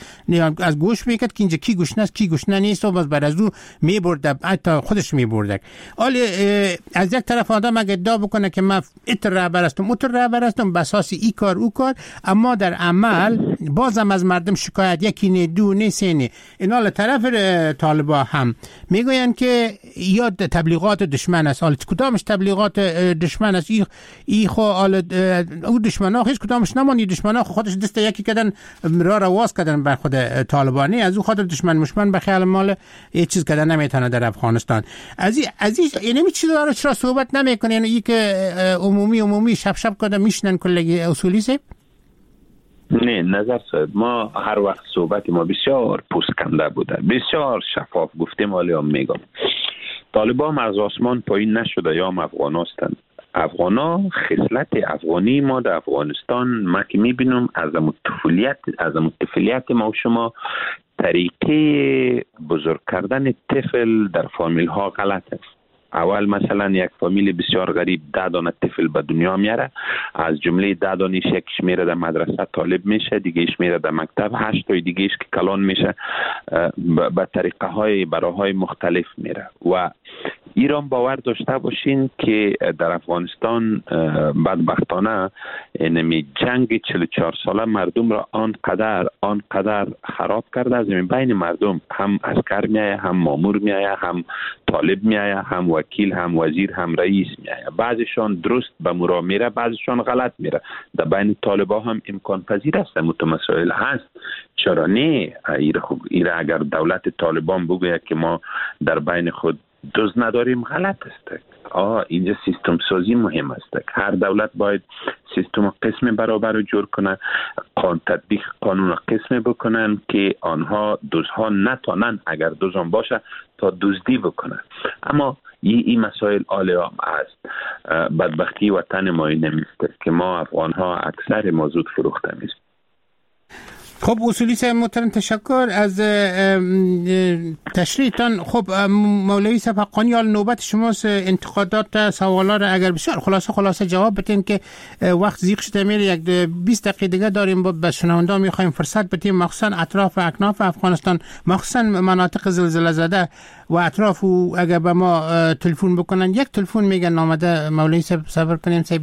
[SPEAKER 7] از گوش میکرد که اینجا کی گشنه است کی گشنه نیست و باز بر از او میبرد، حتی خودش میبرد. حالا از یک طرف آدم اگه ادعا بکنه که من اتر رهبر هستم اتر رهبر هستم به اساس ای کار او کار، اما در عمل بازم از مردم شکایت یکی نه دو نه سه نه. اینا طرف طالبا هم میگوین که یا تبلیغات دشمن است. حالا کدامش تبلیغات دشمن است؟ ای ای خو حالا او دشمنا هیچ کدامش نمانی، دشمنا خودش دست یکی کردن را را واز کردن بر خود طالبانی، از او خاطر دشمن مشمن به خیال مال یه چیز کردن نمیتونه در افغانستان. از این از این یعنی چیز داره چرا صحبت نمیکنه؟ یعنی ای که عمومی عمومی شب شب کردن میشنن کلگی اصولی سه.
[SPEAKER 10] نه نظر صاحب، ما هر وقت صحبت ما بسیار پوستکنده بوده، بسیار شفاف گفتیم. حالا هم میگم طالبان از آسمان پایین نشده یا هم افغان هستند. افغان ها خصلت افغانی ما در افغانستان ما که میبینم از طفولیت از طفولیت ما و شما طریقه بزرگ کردن طفل در فامیل ها غلط است. اول مثلا یک فامیل بسیار غریب ده دانه طفل به دنیا میاره، از جمله ده دانش یکیش میره در مدرسه طالب میشه، دیگهش میره در مکتب، هشت تای دیگهش که کلان میشه به طریقه های براهای مختلف میره. و ایران باور داشته باشین که در افغانستان بدبختانه اینمی جنگ چهل و چهار ساله مردم را آنقدر آنقدر خراب کرده، از بین مردم هم عسکر میایه، هم مامور میایه، هم طالب میایه، هم وکیل، هم وزیر، هم رئیس میایه. بعضیشان درست به مرا میره، بعضیشان غلط میره. در بین طالبا هم امکان پذیر است، متمسائل هست. چرا نه؟ ایره اگر دولت طالبان بگوید که ما در بین خود دوز نداریم، غلط است. آه اینجا سیستم سازی مهم است. هر دولت باید سیستم قسم برابر رو جور کنه، قانون تطبیق قانون قسم بکنن که آنها دوزها نتانن اگر دوزان باشه تا دزدی بکنن. اما این ای مسائل عالی عام است. بدبختی وطن ما این نیست که ما افغان ها اکثر ما زود فروخته میشیم.
[SPEAKER 7] خب اصولی صاحب محترم تشکر از تشریحتان. خب مولوی صاحب حقانی، حال نوبت شماست، انتقادات سوالا را اگر بسیار خلاصه خلاصه جواب بدین که وقت زیق شده میره، یک بیست دقیقه دیگه داریم، با به شنونده میخوایم فرصت بدیم، مخصوصا اطراف و اکناف افغانستان، مخصوصا مناطق زلزله زده و اطراف، و اگر به ما تلفن بکنن یک تلفن میگن آمده. مولوی صاحب صبر کنیم صاحب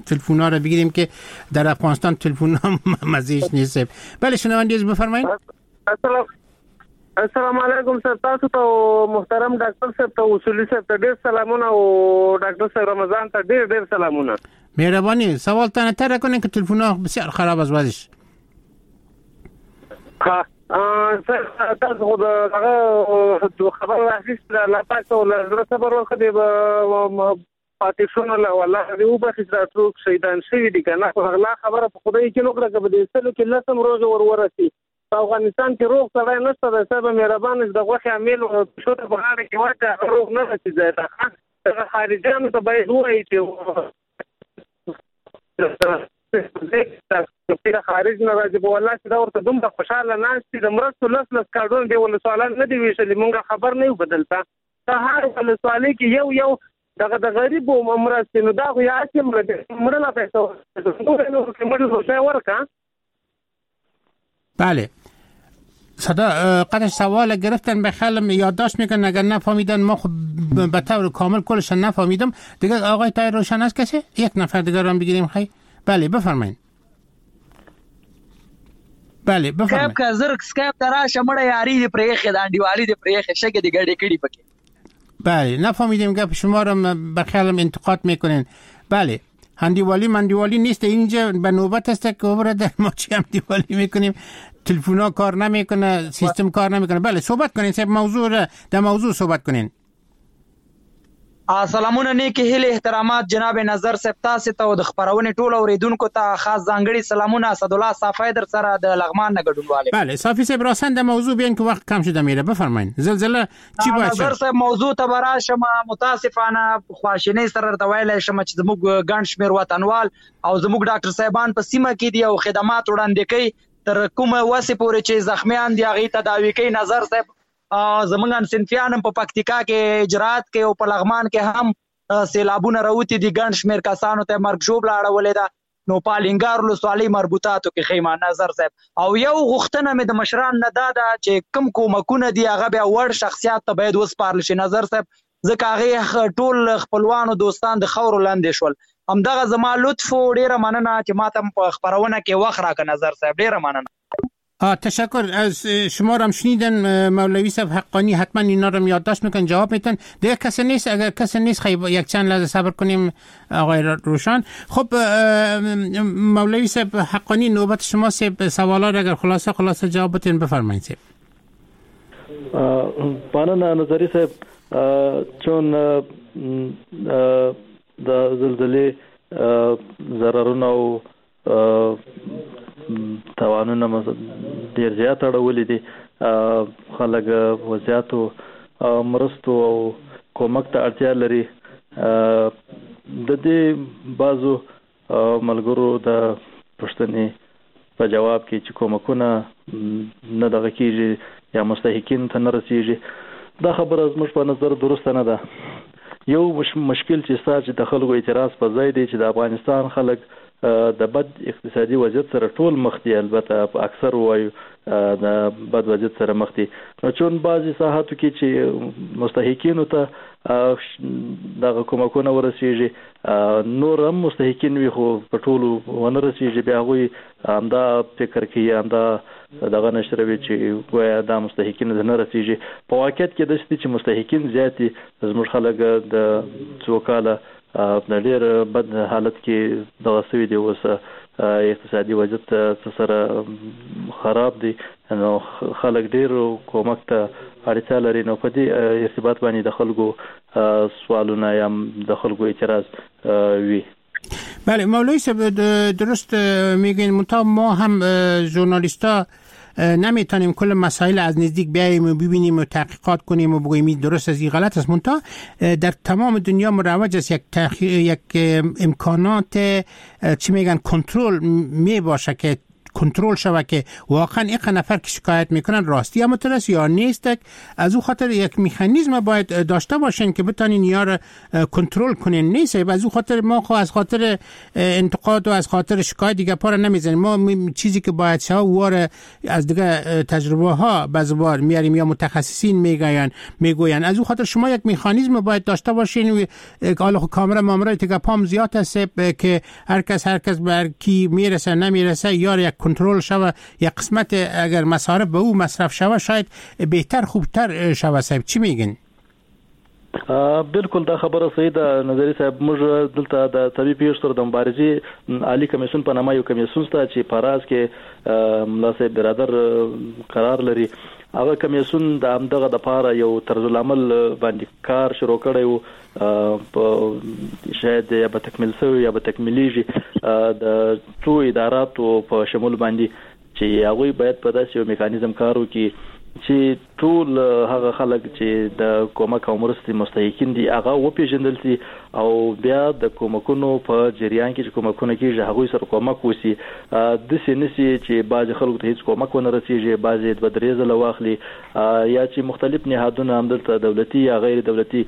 [SPEAKER 7] تلفن ها را بگیریم که در افغانستان تلفن ها مزیش نیست. بله شنونده عزیز بفرمایید.
[SPEAKER 15] السلام السلام علیکم سر، تاسو ته محترم ډاکټر صاحب ته اصولي صاحب ته ډیر سلامونه او ډاکټر صاحب رمضان ته ډیر ډیر سلامونه.
[SPEAKER 7] مهربانی سوال تانه تر کنین که تلفن ها بسیار خراب از وضعش.
[SPEAKER 15] ها سر تاسو خو دغه خبر راخیست الله پاک ته له زړه صبر ورکړي پاتې شونه له والله دې وبخښي چې دا څوک شهیدان شوي دي که نه، خو هغه خبره په خدای کې وکړه که په دې سلو کې لس هم روغې ور ورسي. په افغانستان کې روغ سړی نشته دی صاحب، مهربان چې د غوښې امیل پښو ته په غاړه کې واچوي هغه روغ نه رسي ځای ته. دغه خارجیانو ته باید ووایي چې خارج نه راځي، په والله چې دا ورته دومره خوشحاله ناست دي. د مرستو لس لس کارډونه دې ولسوالان نه دي ویشلي، مونږ خبر نه یو په دلته په هر ولسوالۍ کې یو یو دغه د غریبو مرستې، نو دا خو یې هسې مړه مړه لا پیسه مړه ورکړه.
[SPEAKER 7] بله صدا قدر سوال گرفتن به خیالم یادداشت میکنن، اگر نفهمیدن ما خب به طور کامل کلش نفهمیدم دیگه. آقای طاهر روشن است کسی؟ یک نفر دیگه رو هم بگیریم. خیلی بله بفرمایید. بله بفرمایید.
[SPEAKER 16] سکایپ که زر سکایپ ته راشه مړه یاري دې پرېښې ده، انډیوالي دې پرېښې، شګې دې ګډې کړي پکې.
[SPEAKER 7] بله نفهمیدیم گپ شما رو به خیالم انتقاد میکنین. بله هندیوالی مندیوالی نیست اینجا، به نوبت است که برادر ما چی هندیوالی میکنیم، تلفن کار نمیکنه، سیستم کار نمیکنه. بله صحبت کنین سب موضوع را در موضوع صحبت کنین.
[SPEAKER 16] سلامونه نیکې هیلې احترامات جناب نظر صاحب تاسو ته او د خپرونې ټول اوریدونکو ته خاص ځانګړي سلامونه. اسدالله صافی در سره د لغمان نه ګډونوال.
[SPEAKER 7] بله صافی صاحب راساً در موضوع بیان که وقت کم شده میره. بفرمایید زلزله چی باید
[SPEAKER 16] نظر صاحب موضوع ته به راشم. متاسفانه خواشینۍ سره درته ویلی شم چې زموږ ګڼ شمېر وطنوال او زموږ ډاکټر صاحبان په سیمه کې دي او خدمات وړاندې کوي تر کومه وسې پورې چې زخمیان دي هغې تداوي کوي. نظر صاحب زمونږ همصنفیان هم په پکتیکا کې اجرات کوي او په لغمان کې هم سیلابونه راوتي دي، ګڼ شمېر کسانو ته مرګ ژوبله اړولې ده. نو په الینګار ولسوالۍ مربوطاتو کې خیمه نظر صاحب. او یو غوښتنه مې د مشران نه دا ده چې کوم کومکونه دي هغه بیا وړ شخصیات ته باید وسپارل شي نظر صاحب، ځکه هغې ټول خپلوانو دوستان د خاورو لاندې شول. همدغه زما لطف و، ډېره مننه چې ماته هم په خپرونه کې وخت راکړه نظر صاحب، ډېره مننه.
[SPEAKER 7] تشکر از شما رو هم شنیدن مولوی صاحب حقانی، حتما اینا رو یادداشت میکنن جواب میتن. دیگه کسی نیست؟ اگر کسی نیست خیلی یک چند لحظه صبر کنیم آقای روشن. خب مولوی صاحب حقانی نوبت شما صاحب، سوالا رو اگر خلاصه خلاصه جواب بتین بفرمایید صاحب.
[SPEAKER 8] مننه نظری صاحب، چون د زلزلې ضررونه او تاوانونه ډیر زیات اړولي دي، خلک زیاتو مرستو او کومک ته اړتیا لري. د دې بعضو ملګرو د پوښتنې په جواب کې چې کومکونه نه دغه کیږي یا مستحقین ته نه رسیږي، دا خبره زموږ په نظر درسته نه ده. یو مشکل چې ستا چې د خلکو اعتراض په ځای دی چې د افغانستان خلک د بد اقتصادي وضعیت سره ټول مخ دي، البته اکثر وایو د بد وضعیت سره مخ دي. نو چون بعضې ساحاتو کې چې مستحقینو ته دغه کومکونه ورسیږي، نور هم مستحقین وي خو په ټولو ونه رسیږي، بیا هغوی همدا فکر کوي، همدا دغه نشروي چې ګویا دا مستحقین ته نه رسیږي. په واقعیت کې داسې دي چې مستحقین زیات دي. زموږ خلک د څو کاله په ډېر بد حالت کې دغه سوي دي، اوس اقتصادي وضعیت څه سره خراب دی، نو خلک ډېر کومک ته اړتیا لري. نو په دې ارتباط باندې د خلکو سوالونه یا د خلکو اعتراض وي.
[SPEAKER 7] بله مولوی صاحب درست میگین، منتها ما هم ژورنالیستا نمیتونیم کل مسائل از نزدیک بیاییم و ببینیم و تحقیقات کنیم و بگوییم درست از این غلط است. منتها در تمام دنیا مروج است یک تحقیق، یک امکانات چی میگن کنترل می باشه که کنترل شوه که واقعا یک نفر که شکایت میکنن راستی هم است یا نیست. از او خاطر یک مکانیزم باید داشته باشین که بتونین یار کنترل کنین. نیست از او خاطر ما خو از خاطر انتقاد و از خاطر شکایت دیگه پا نمیزنیم. ما چیزی که باید شوه وار از دیگه تجربه ها بازوار میاریم یا متخصصین میگوین میگوین. از او خاطر شما یک مکانیزم باید داشته باشین. حالا خو کامرا مامرای دیگه پام زیاد هست که هر کس هر کس بر کی میرسه نمیرسه، یا یک کنترل شوه، یک قسمت اگر مصارف به او مصرف شوه شاید بهتر خوبتر شوه. صاحب چی میگن؟
[SPEAKER 8] بالکل دا خبره صحیح ده نظری صاحب. موږ دلته د طبي پیښو سره د مبارزې عالی کمیسیون په نامه یو کمیسیون شته چې په راز کې ملا صاحب برادر قرار لري. هغه کمیسیون د همدغه د پاره یو طرز العمل باندې کار شروع کړی و، په شاید یا به تکمیل شوی یا به تکمیلیږي د څو اداراتو په شمول باندې چې هغوی باید په داسې یو میکانیزم کار وکړي چې ټول هغه خلک چې د کومک او مرستې مستحقین دي هغه وپیژندل شي او بیا د کومکونو په جریان کې چې کومکونه کیږي هغوی سره کومک وشي. داسې نه شي چې بعضې خلکو ته هیڅ کومک ونه رسیږي، بعضې دوه درې ځله واخلي، یا چې مختلف نهادونه همدلته دولتي یا غیر دولتي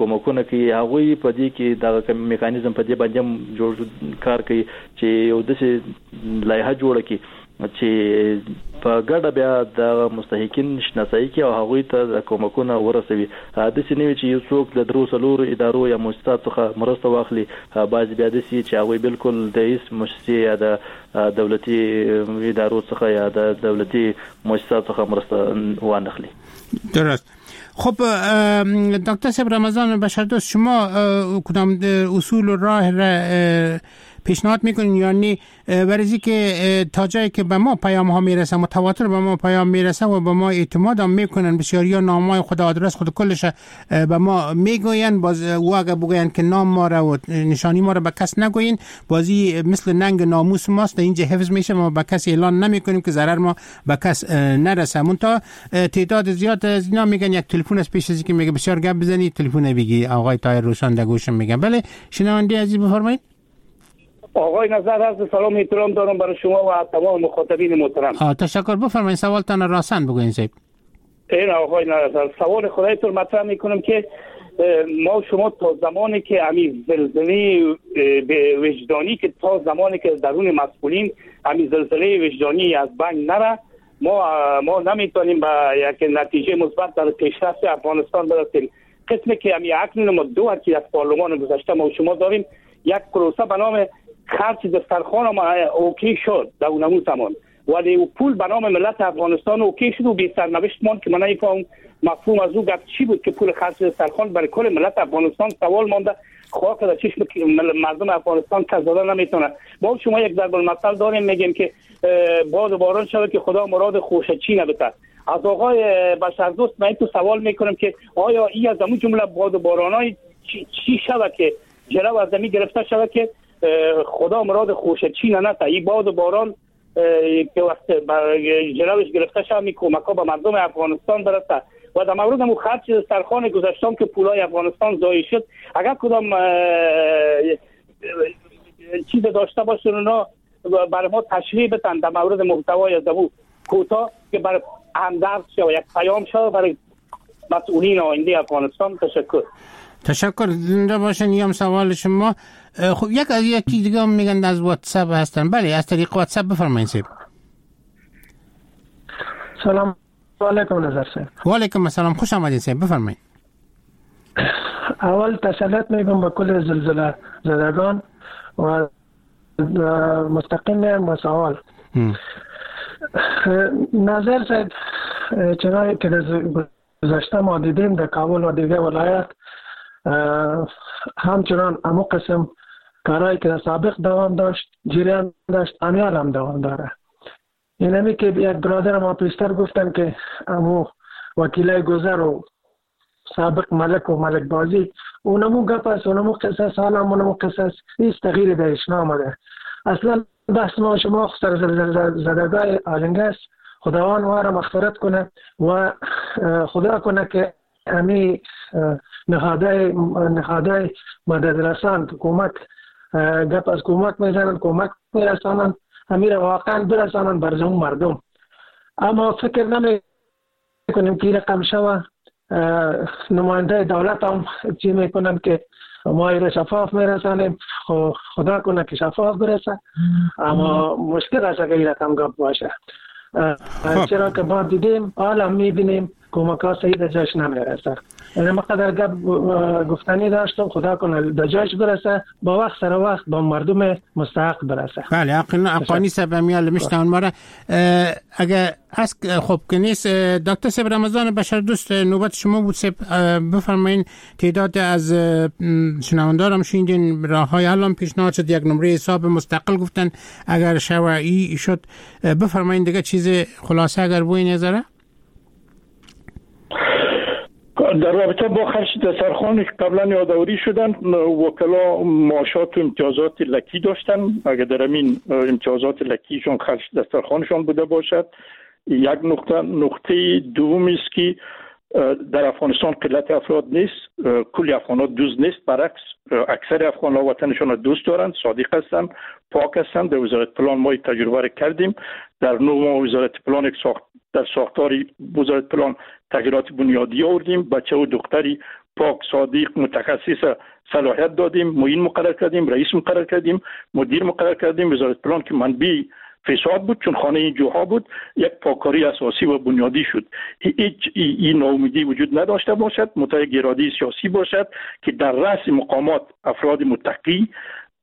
[SPEAKER 8] کومکونه کوي هغوی په دې کې دغه میکانیزم په دې باندې هم جوړ کار کوي چې یو داسې لایحه جوړه کړي چې په ګډه بیا د مستحقین شناسایی کوي او هغوی ته د کومکونه ورسوي. داسې نه وي چې یو څوک د درو څلورو ادارو یا موسساتو څخه مرسته واخلي، بعضې بیا داسې چې هغوی بالکل د هیڅ موسسې یا د دولتي ادارو څخه یا د دولتي موسساتو څخه مرسته وانخلي.
[SPEAKER 7] درست. خب دکتر صاحب رمضان بشردوست، شما کدام اصول و راه را پیشنهاد میکنین؟ یعنی برای که تا جایی که به ما پیام ها میرسه، متواتر به ما پیام میرسه و به ما اعتماد هم میکنن، بسیاری ها نام های خود، آدرس خود کلش به ما میگوین، باز او اگه بگوین که نام ما را و نشانی ما را به کس نگوین، بازی مثل ننگ ناموس ماست در اینجا حفظ میشه، ما به کس اعلان نمیکنیم که ضرر ما به کس نرسه. منتها تعداد زیاد از اینا میگن یک تلفن از پیش از که میگه بسیار گپ بزنی تلفن بگی آقای طاهر روشان در گوشم میگن. بله شنونده عزیز بفرمایید.
[SPEAKER 17] آقای نظر عرض سلام احترام دارم برای شما و تمام مخاطبین محترم.
[SPEAKER 7] تشکر. بفرمایید سوالتان راسن بگوین صاحب.
[SPEAKER 17] این آقای نظر سوال خدایتون مطرح میکنم که ما شما تا زمانی که امی زلزله وجدانی که تا زمانی که درون مسئولین امی زلزله وجدانی از بین نره، ما ما نمیتونیم به یک نتیجه مثبت در پیشرفت افغانستان برسیم. قسمی که امی اکنون ما دو که از پارلمان گذشته ما شما داریم یک پروسه به نام خرج دسترخوان ما okay شد در اون زمان، ولی او پول به نام ملت افغانستان okay شد و بی سرنوشت ماند که من نمیفهمم مفهوم از او گپ چی بود که پول خرج دسترخوان برای کل ملت افغانستان سوال مانده، خاک در چشم مردم افغانستان کس داده نمیتونه. با شما یک ضرب المثل داریم میگیم که باد و باران شود که خدا مراد خوشه چی نبته. از آقای بشردوست من تو سوال میکنم که آیا ای از اون جمله باد و بارانای چی, چی شود که جلو از زمین گرفته شود که خدا مراد خوشه چی نه نته، این باد و باران که وقت جلوش گرفته شود می کمک ها به مردم افغانستان برسه. و در مورد مو خرج دسترخوان گذشتم که پولای افغانستان ضایع شد، اگر کدام چیز داشته باشن اونا برای ما تشریح بدن در مورد محتوای از او کوتاه که برای همدرد شود، یک پیام شود برای مسئولین آینده افغانستان. تشکر.
[SPEAKER 7] تشکر، زنده باشن. یم سوال شما. خب یک از یکی دیگه هم میگن از واتساپ هستن. بله از طریق واتساپ بفرمایید صاحب.
[SPEAKER 18] سلام علیکم نظر صاحب.
[SPEAKER 7] و علیکم السلام، خوش آمدید صاحب، بفرمایید.
[SPEAKER 18] اول تسلیت میگم به کل زلزله زدگان و مستقیم و سوال نظر صاحب، چنانچه که گذشته ما دیدیم در کابل و دیگر ولایت همچنان امو قسم کارهایی که در سابق دوام داشت جریان داشت امیال هم دوام داره. اینمی که یک برادر ما پیشتر گفتن که امو وکیلای گذر و سابق ملک و ملک بازی اونمو گپ است، اونمو قصه، حالا اونمو قصه، هیچ تغییری درش نامده. اصلا بحث ما شما سر زدگای آلنگه است. خداوند ما را مغفرت کنه و خدا کنه که امی نهادهای نهادهای مدد رسان که کمک گپ از کمک میزنن کمک میرسانن، امیر واقعا برسانن بر زمون مردم. اما فکر نمی کنیم که رقم شوه. نماینده دولت هم چی میکنن که ما ایره شفاف میرسانیم، خدا کنه که شفاف برسه، اما مشکل است اگر این رقم گپ باشه، چرا که ما دیدیم حالا میبینیم کمک ها صحیح در جایش نمیرسه. یعنی ما قدر گپ گفتنی داشتم، خدا کنه در جایش برسه، با وقت سر وقت با مردم مستحق برسه.
[SPEAKER 7] بله اقانی صاحب میال میشنون ما را. اگر از خب که نیست، دکتر صاحب رمضان بشر دوست نوبت شما بود صاحب، بفرمایین تعداد از شنوندارم شنیدین راه های الان پیشنهاد شد، یک نمره حساب مستقل گفتن اگر شوعی شد، بفرمایین دیگه چیز خلاصه اگر بوی نظره.
[SPEAKER 9] در رابطه با خرج دسترخوان که قبلا یادآوری شدن، وکلا معاشات و امتیازات لکی داشتن. اگر در همین امتیازات لکیشون خرج دسترخوانشان بوده باشد یک نقطه. نقطه دوم است که در افغانستان قلت افراد نیست، کل افغان‌ها دوست نیست، برعکس اکثر افغان‌ها وطنشان را دوست دارند، صادق هستند، پاک هستند. در وزارت پلان ما تجربه را کردیم، در نه ماه وزارت پلان ساخت در ساختار وزارت پلان تغییرات بنیادی آوردیم، بچه و دختری پاک صادق متخصص صلاحیت دادیم، معین مقرر کردیم، رئیس مقرر کردیم، مدیر مقرر کردیم. وزارت پلان که منبع فساد بود چون خانه این جوها بود، یک پاکاری اساسی و بنیادی شد. هیچ این ناامیدی وجود نداشته باشد، متأ گرادی سیاسی باشد که در رأس مقامات افراد متقی،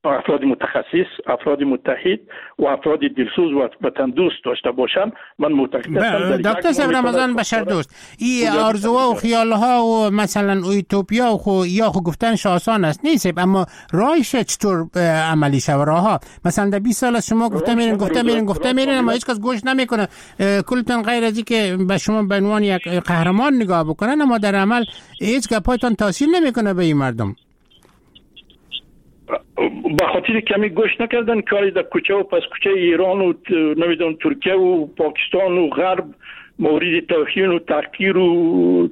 [SPEAKER 9] افراد متخصص، افراد متحد و افراد دلسوز و وطن دوست داشته باشند. من معتقد هستم
[SPEAKER 7] دکتر صاحب رمضان بشر دوست، این آرزوها و خیالها و مثلا اوتوپیا و خو یا خو گفتنش آسان است نیست، اما راهش چطور عملی شوه؟ راهها مثلا در بیست سال از شما گفته میرین گفته میرین گفته میرین اما هیچ کس گوش نمیکنه، کلتون غیر از اینکه به شما به عنوان یک قهرمان نگاه بکنن، اما در عمل هیچ گپایتون تاثیر نمیکنه به این مردم.
[SPEAKER 9] به خاطر کمی گوش نکردن کاری در کوچه و پس کوچه ایران و نمیدونم ترکیه و پاکستان و غرب مورد توهین و تحقیر و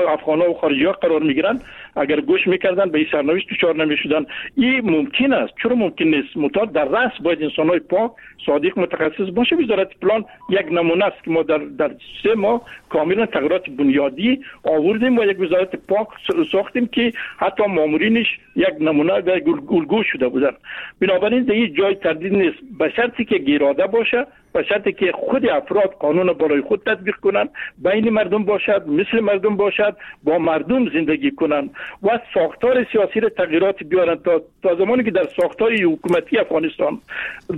[SPEAKER 9] افغان‌ها و خارجی‌ها قرار میگیرن. اگر گوش میکردن به این سرنوشت دچار نمیشدن. این ممکن است، چرا ممکن نیست؟ متأ در رأس باید انسان‌های پاک صادق متخصص باشه. وزارت پلان یک نمونه است که ما در در سه ماه کاملا تغییرات بنیادی آوردیم و یک وزارت پاک ساختیم که حتی مامورینش یک نمونه و الگو شده بودن. بنابراین در این جای تردید نیست، به شرطی که گیراده باشه، به شرطی که خود افراد قانون بالای خود تطبیق کنند، بین مردم باشد، مثل مردم باشد، با مردم زندگی کنند و ساختار سیاسی را تغییرات بیارن. تا تا زمانی که در ساختار حکومتی افغانستان،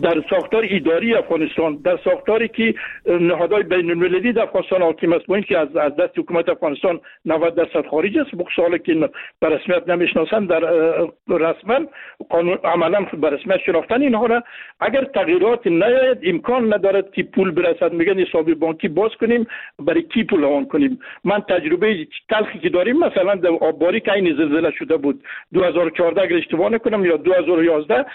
[SPEAKER 9] در ساختار اداری افغانستان، در ساختاری که نهادهای بین المللی در افغانستان حاکم است، با اینکه از از دست حکومت افغانستان نود درصد خارج است، بخصوص که به رسمیت نمیشناسند، در رسما قانون عملا به رسمیت شناختن اینها را، اگر تغییرات نیاید امکان ندارد که پول برسد. میگن حساب بانکی باز کنیم، برای کی پول روان کنیم؟ من تجربه تلخی که داریم مثلا در آبباری که این زلزله شده بود دو هزار و چهارده اگر اشتباه نکنم یا دو هزار و یازده،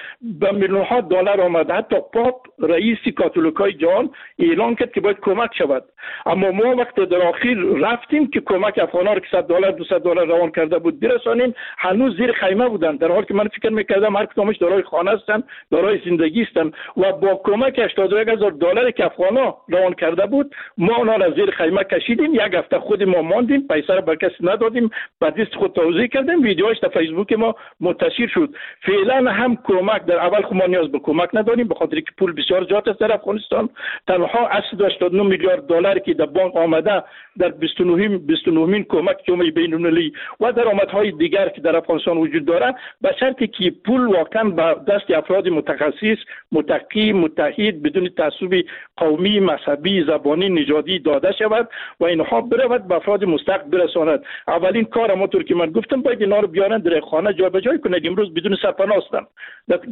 [SPEAKER 9] به میلیون ها دلار آمد. حتی پاپ رئیس کاتولیکای جهان اعلان کرد که باید کمک شود، اما ما وقت در آخر رفتیم که کمک افغان‌ها رو که صد دلار دویست دلار روان کرده بود برسانیم، هنوز زیر خیمه بودند، در حالی که من فکر می‌کردم هر کدامش دارای خانه هستند، دارای زندگی هستند و با کمک هشتاد و یک هزار دلار که افغان‌ها روان کرده بود ما آنها را زیر خیمه کشیدیم. یک هفته خود ما ماندیم، پیسه را به کسی ندادیم، به دست خود توزیع کردیم، ویدیوهاش در فیسبوک ما منتشر شد. فعلا هم کمک در اول خود ما نیاز به کمک نداریم، به خاطر که پول بسیار زیاد است در افغانستان. تنها هشتصد و هشتاد و نه میلیارد دلار که در بانک آمده در بیست و نه کمک جامعه بین‌المللی و درآمدهای دیگر که در افغانستان وجود دارد، به شرطی که پول واقعا به دست افراد متخصص، متقی، متحد، بدون تعصب قومی، مذهبی، زبانی، نژادی داده شود و اینها برود به افراد مستحق برساند. اولین کار همونطور که من گفتم باید اینا رو بیارن در خانه جابجا کنند. امروز بدون سرپناه هستند،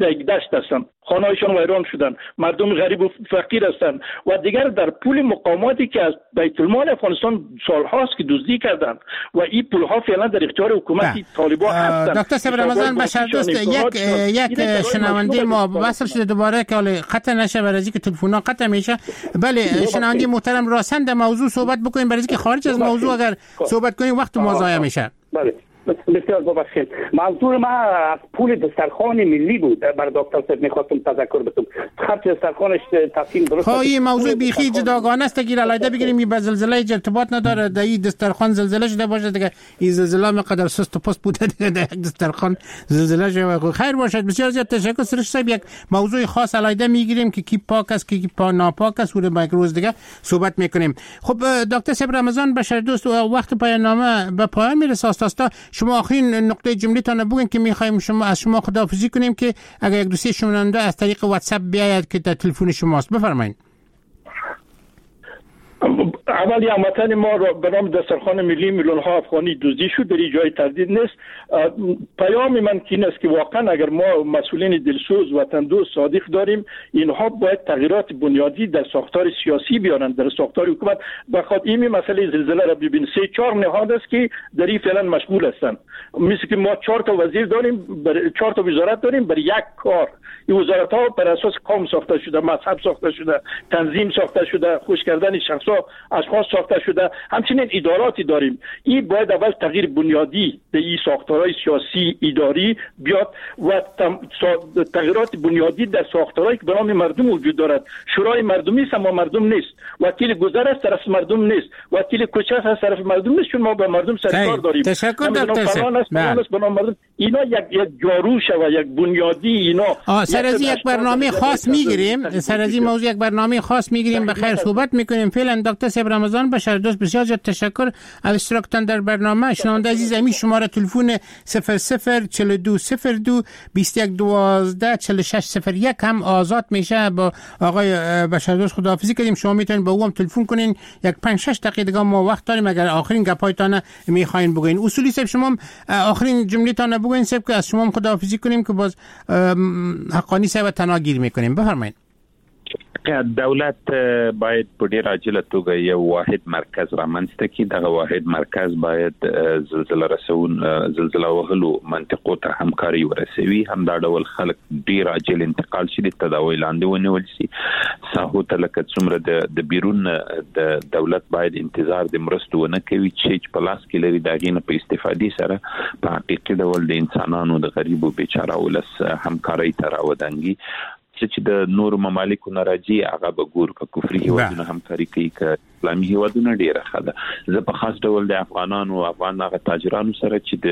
[SPEAKER 9] در یک دشت هستند، خانه‌هایشان ویران شدن، مردم غریب و فقیر هستند و دیگر در پول مقاماتی که از بیت المال افغانستان سالهاست که دزدی کردند و این پولها فعلا در اختیار حکومت طالبان هستند.
[SPEAKER 7] دکتر صاحب رمضان بشر دوست، یک یک شنونده ما وصل شده دوباره که قطع نشه، برای اینکه تلفن‌ها قطع میشه. بله شنونده محترم، راساً در موضوع صحبت بکنیم، برای اینکه خارج از موضوع اگر صحبت کنیم وقت ما ضایع میشه.
[SPEAKER 19] بله
[SPEAKER 17] بسیار ببخشید، منظور من از پول دسترخوان ملی بود. بر دکتر صاحب میخواستم تذکر بدم خرج دسترخوانش تصمیم درست.
[SPEAKER 7] خب این موضوع بیخی جداگانه است که علیحده بگیریم، این به زلزله ارتباط نداره. در این دسترخوان زلزله شده باشه دیگه، این زلزله مقدر سست و پست بوده دیگه، در یک دسترخوان زلزله شده. خیر باشد. بسیار زیاد تشکر سرش صاحب. یک موضوع خاص علیحده میگیریم که کی پاک است کی پا ناپاک است، او یک روز دیگه صحبت میکنیم. خب دکتر صاحب رمضان بشر دوست، وقت پایان نامه به پایان میرسه. آستا شما آخرین نقطه جمله تان بگین که میخوایم شما از شما خداحافظی کنیم که اگر یک دوستی شنونده از طریق واتساپ بیاید که در تلفن شماست، بفرمایید.
[SPEAKER 9] اولی هموطن ما را به نام دسترخوان ملی میلیون ها افغانی دزدی شد، در جای تردید نیست. پیام من که این است که واقعا اگر ما مسئولین دلسوز وطن دوست صادق داریم، اینها باید تغییرات بنیادی در ساختار سیاسی بیارند، در ساختار حکومت. بخاطر این مسئله زلزله را ببین، سه چهار نهاد است که در این فعلا مشغول هستند. مثل که ما چهار تا وزیر داریم، بر چهار تا وزارت داریم بر یک کار. این وزارت ها بر اساس قوم ساخته شده، مذهب ساخته شده، تنظیم ساخته شده، خوش کردن شخص اشخاص ساخته شده. همچنین اداراتی داریم. این باید اول تغییر بنیادی به این ساختارهای سیاسی اداری بیاد و تغییرات بنیادی در ساختارهایی که به نام مردم وجود دارد. شورای مردمی است اما مردم نیست، وکیل گذر است طرف مردم نیست، وکیل کوچه است طرف مردم نیست، چون ما با مردم سرکار داریم.
[SPEAKER 7] تشکر دکتر
[SPEAKER 9] صاحب. به نام مردم اینا یک یک جارو شوه، یک بنیادی اینا.
[SPEAKER 7] سر از یک برنامه خاص میگیریم، سر از این موضوع یک برنامه خاص میگیریم، بخیر صحبت میکنیم. فعلا دکتر صاحب رمضان بشر دوست، بسیار زیاد تشکر از اشتراکتان در برنامه. شنونده عزیز، همین شماره تلفن صفر صفر چهل و دو صفر دو بیست و یک دوازده چهل و شش صفر یک هم آزاد میشه. با آقای بشر دوست خداحافظی کردیم. شما میتونید با او هم تلفن کنین. یک پنج شش دقیقه دیگه ما وقت داریم اگر آخرین گپایتان میخواین بگین. اصولی صاحب شما آخرین جمله تان بگین صاحب که از شما هم خداحافظی کنیم که باز حقانی صاحب تنها گیر میکنیم. بفرمایید.
[SPEAKER 10] دولت باید په ډیر عاجله توګه یو واحد مرکز رامنځته کړي. دغه واحد مرکز باید زلزله رسون زلزله وهلو منطقو ته همکاري ورسوي. همدا ډول خلک ډیر عاجل انتقال شي، د تداوی لاندې ونیول شي. ساحو ته لکه څومره د د بیرون د دولت باید انتظار د مرستو ونه کوي چې په لاس کې لري، د هغې نه په استفادې سره په حقیقي ډول د انسانانو د غریبو بیچاره ولس همکارۍ ته راودانګي. چې د نورو ممالکو نه راځي هغه به ګورو که کفري هیوادونه همکاري کوي که اسلامي هیوادونه، ډیره ښه ده. زه په خاص ډول د افغانانو افغان هغه تاجرانو سره چې د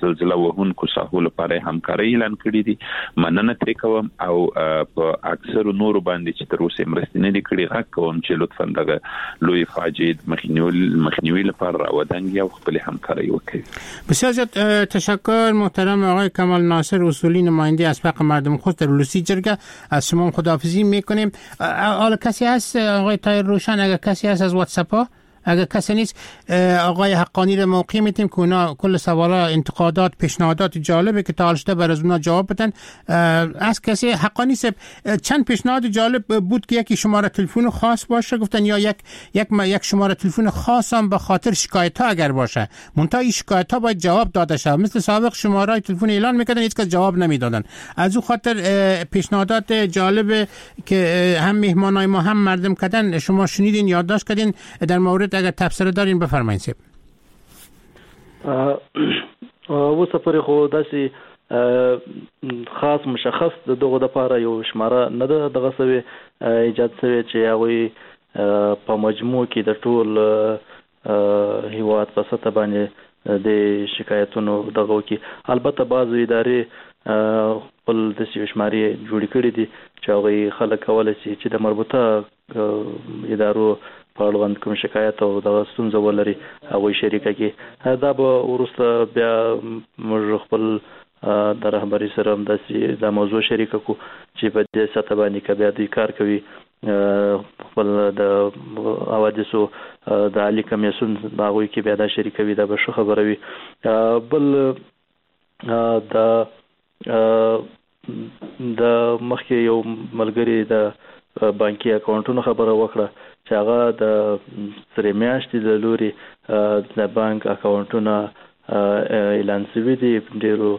[SPEAKER 10] زلزله وهونکو ساحو لپاره همکاري اعلان کړې دي مننه ترې کوم، او په اکثرو نورو باندې چې تر اوسه مرستې نه دي کړې غږ کوم چې لطفاً دغه لوی فاجعې مخنیوي لپاره راودانګي او خپلې همکاري وکړي.
[SPEAKER 7] بسیار زیاد تشکر محترم آقای کمال ناصر اصولی، نماینده اسبق مردم خوست در ولسی جرگه. از شما خداحافظی میکنیم. حالا کسی هست آقای طاهر روشن؟ اگر کسی هست از واتساپ ها، اگر کسی نیست آقای حقانی رو موقع میتیم که اونا کل سوالا، انتقادات، پیشنهادات جالبه که تا حال شده بر از اونا جواب بدن. از کسی حقانی صاحب چند پیشنهاد جالب بود که یکی شماره تلفن خاص باشه گفتن، یا یک یک یک شماره تلفن خاص هم به خاطر شکایت ها اگر باشه، منتها این شکایت ها باید جواب داده شود. مثل سابق شماره تلفن اعلان میکردن هیچ کس جواب نمیدادن. از او خاطر پیشنهادات جالب که هم مهمانای ما هم مردم کردن شما شنیدین، یادداشت کردین. در مورد اگر تبصره دارین بفرمایید صاحب.
[SPEAKER 8] اوسه پورې خو داسې خاص مشخص د دغو دپاره یو شماره نه ده دغه سوې ایجاد سوې چې هغوی په مجموع کې د ټول هیواد په سطح باندې د شکایتونو دغه وکړي. البته بعضو ادارې خپل داسې یو شمارې جوړې کړې دي چې هغوی خلک کولی شي چې د مربوطه ادارو په اړوند کوم شکایت او دغه ستونزه ولري هغوی شریکه کړي. دا به وروسته بیا موږ خپل د رهبري سره هم داسې دا موضوع شریکه کړو چې په دې سطح باندې که بیا دوی کار کوي خپل د حوادثو د عالي کمیسیون په هغوی کې بیا دا شریکوي، دا به ښه خبره وي. بل د د مخکې یو ملګري د بانکي اکاونټونو خبره وکړه چې هغه د سرې میاشتې له لوري د بانک اکاونټونه اعلان شوي دي. ډېرو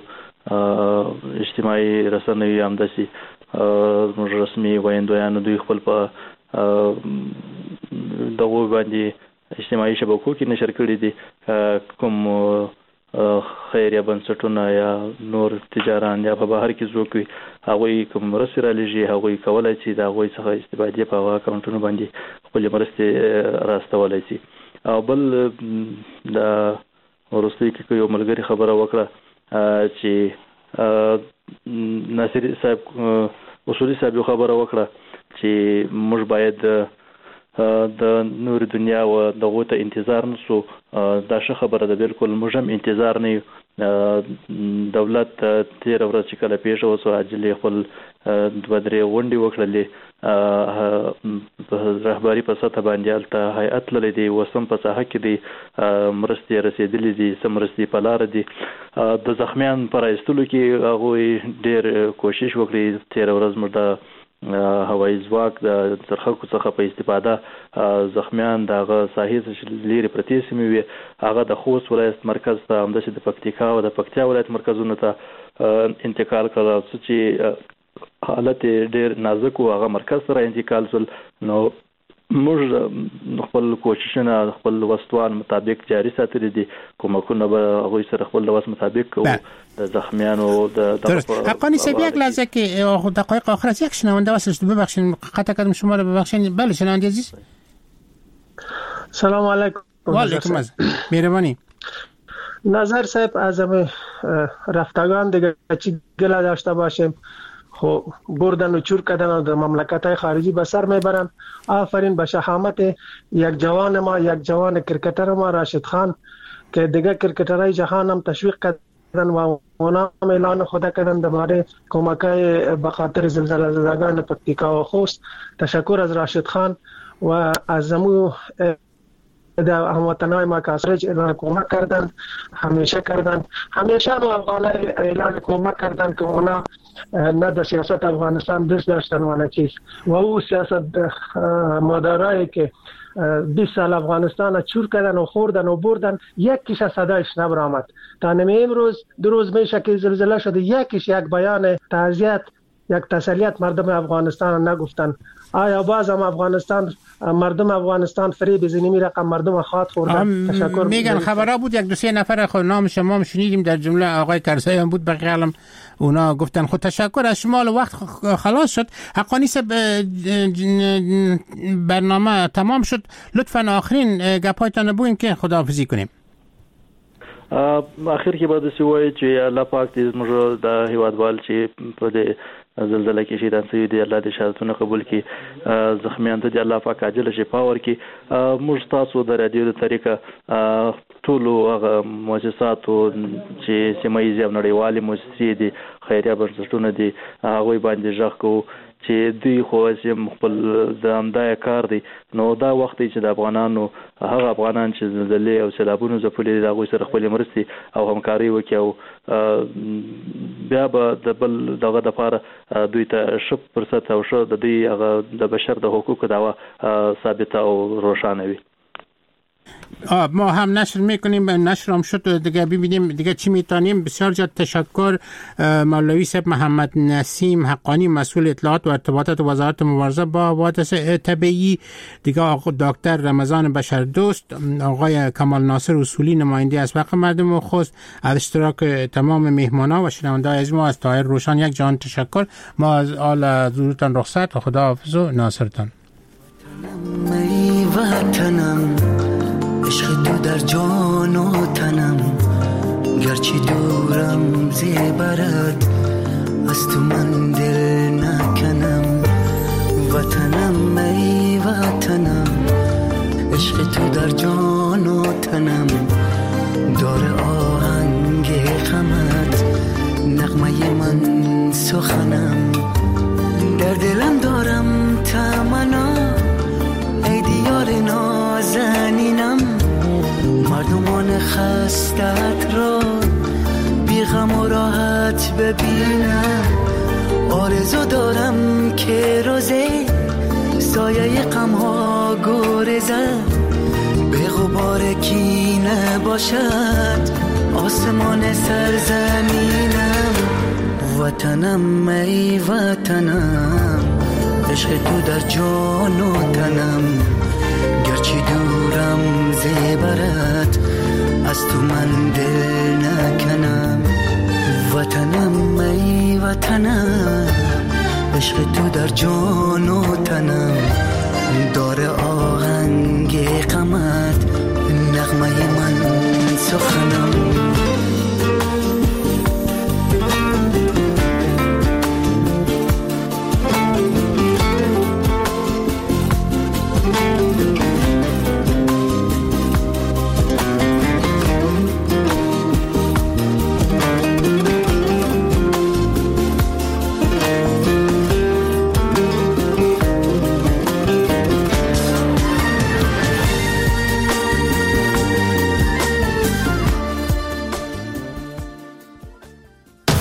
[SPEAKER 8] اجتماعي رسنیو هم داسې زموږ رسمي ویندویانو دوی خپل په دغو باندې اجتماعي شبکو کې نشر کړي دي. کوم خیریه بنسټونه یا نور تجاران یا په بهر کې څوک وي، هغوی کوم مرستې رالیږي، هغوی کولای شي د هغوی څخه استفادې په هغه اکاونټونو باندې خپلې مرستې راستولی شي. او بل د وروستۍ کې یو ملګري خبره وکړه چې ناصر صاحب اصولي صاحب یو خبره وکړه چې موږ باید د نور دنیا و دغو ته انتظار نسو. دا ښه خبره ده، بالکل موږ هم انتظار نه یو. دولت تېره ورځ چې کله پېښه وشوه، عاجلې خپل دوه درې غونډې وکړلې، رهبري په سطح باندې هلته هیئت تللی دی، اوس هم په ساحه کې دی، مرستې رسېدلې دي، څه مرستې په لاره دي. د زخمیان په راایستلو کې هغوی ډېر کوشش وکړي. تېره ورځ موږ د هوایي ځواک د څرخکو څخه په استفاده زخمیان د هغه ساحې څخه چې لیرې پرتې سیمې وې، هغه د خوست ولایت مرکز ته، همداسې د پکتیکا او د پکتیا ولایت مرکزونو ته انتقال کړل. څه چې حالت یې ډېر نازک و، هغه مرکز ته را انتقال شول. نو موږ خپل کوششونه خپل وسوان مطابق جاری ساتلي دي، کمکونه به هغوی سره خپل وس مطابق کوو. د زخمیانو د
[SPEAKER 7] درست. حقانی صاحب یک لحظه که دقایق آخر است، یک شنونده وصل شد، ببخشید قطع کردم شما رو، ببخشید. بله شنونده عزیز،
[SPEAKER 18] سلام علیکم.
[SPEAKER 7] و علیکم السلام، مهربانی.
[SPEAKER 18] نظر صاحب از رفتگان دیگه چی گله داشته باشیم، خب بردن و چور کردن و در مملکت های خارجی به سر میبرن. آفرین به شهامت یک جوان ما، یک جوان کرکتر ما راشد خان که دیگه کرکترهای جهان هم تشویق کردن و اونا هم اعلان خدا کردن درباره کمک های به خاطر زلزله زدگان پکتیکا و خوست. تشکر از راشد خان و از مو در هموطنای ما که از اعلان کمک کردن، همیشه کردن، همیشه هم افغانای اعلان کمک کردن که اونا نه در سیاست افغانستان دست داشتن و نه چیز، و او سیاست مدارایی که بیست سال افغانستان چور کردن و خوردن و بردن، یکیش از صدایش نبرآمد. تا نمی امروز دو روز میشه که زلزله شده، یکیش یک بیان تعزیت، یک تسلیت مردم افغانستان نگفتن. آیا باز هم افغانستان مردم افغانستان فریب زنیمی رقم مردم خواد خوردن؟ تشکر.
[SPEAKER 7] میگن خبرها بود یک دو سه نفر خود نام شما هم شنیدیم، در جمله آقای کرزی هم بود، بقیه هم اونا گفتن. خود تشکر از شما، وقت خلاص شد. حقانی صاحب برنامه تمام شد، لطفا آخرین گپایتان بگوین که خداحافظی کنیم.
[SPEAKER 8] اخر کې به داسې ووایي چې الله پاک دې زموږ د هیوادوال چې په دې زلزله کې شهیدان شوي دي، الله دې شهادتونه قبول کړي، زخمیان ته دې الله پاک عاجله شفا ورکړي. موږ تاسو د رادیو د طریقه ټولو هغه مؤسساتو چې سیمه ییزې او نړیوالې مؤسسې دي، خیریه بنسټونه دي، هغوی باندې غږ کوو چې دوی خو هسې هم خپل د همدا یې کار دی. نو دا وخت دی چې د افغانانو هغه افغانان چې زلزلې او سیلابونو ځپلي دي، د هغوی سره خپلې مرستې او همکارۍ وکړي، او بیا به د بل دغه دپاره دوی ته ښه فرصت او ښه د دوی هغه د بشر د حقوقو دعوه ثابته او روښانه وي.
[SPEAKER 7] ما هم نشر میکنیم، نشر هم شد دیگه، ببینیم دیگه چی میتونیم. بسیار زیاد تشکر مولوی صاحب محمد نسیم حقانی، مسئول اطلاعات و ارتباطات وزارت مبارزه با حوادث طبیعی، دیگه آقا دکتر رمضان بشردوست، آقای کمال ناصر اصولی نماینده اسبق مردم خوست، از اشتراک تمام مهمانا و شنونده‌های از ما، از طاهر روشان یک جان تشکر. ما از آل حضورتان رخصت، خدا حافظ و ناصرتان.
[SPEAKER 19] عشق تو در جان و تنم، گرچه دورم زیبرد از تو من دل نکنم. وطنم ای وطنم، عشق تو در جان و تنم، دار آهنگ غمت نغمه من سخنم. در دلم دارم تمنا ای دیار نازنینم، مردمان خستت را بی غم و راحت ببینم. آرزو دارم که روزی سایه غم ها گریزد، به غبار کینه باشد آسمان سرزمینم. وطنم ای وطنم، عشق تو در جان و تنم، گرچه دورم زیبرت از تو من دل نکنم. وطنم ای وطنم، عشق تو در جان و تنم، داره آهنگ غمت نغمه من سخنم.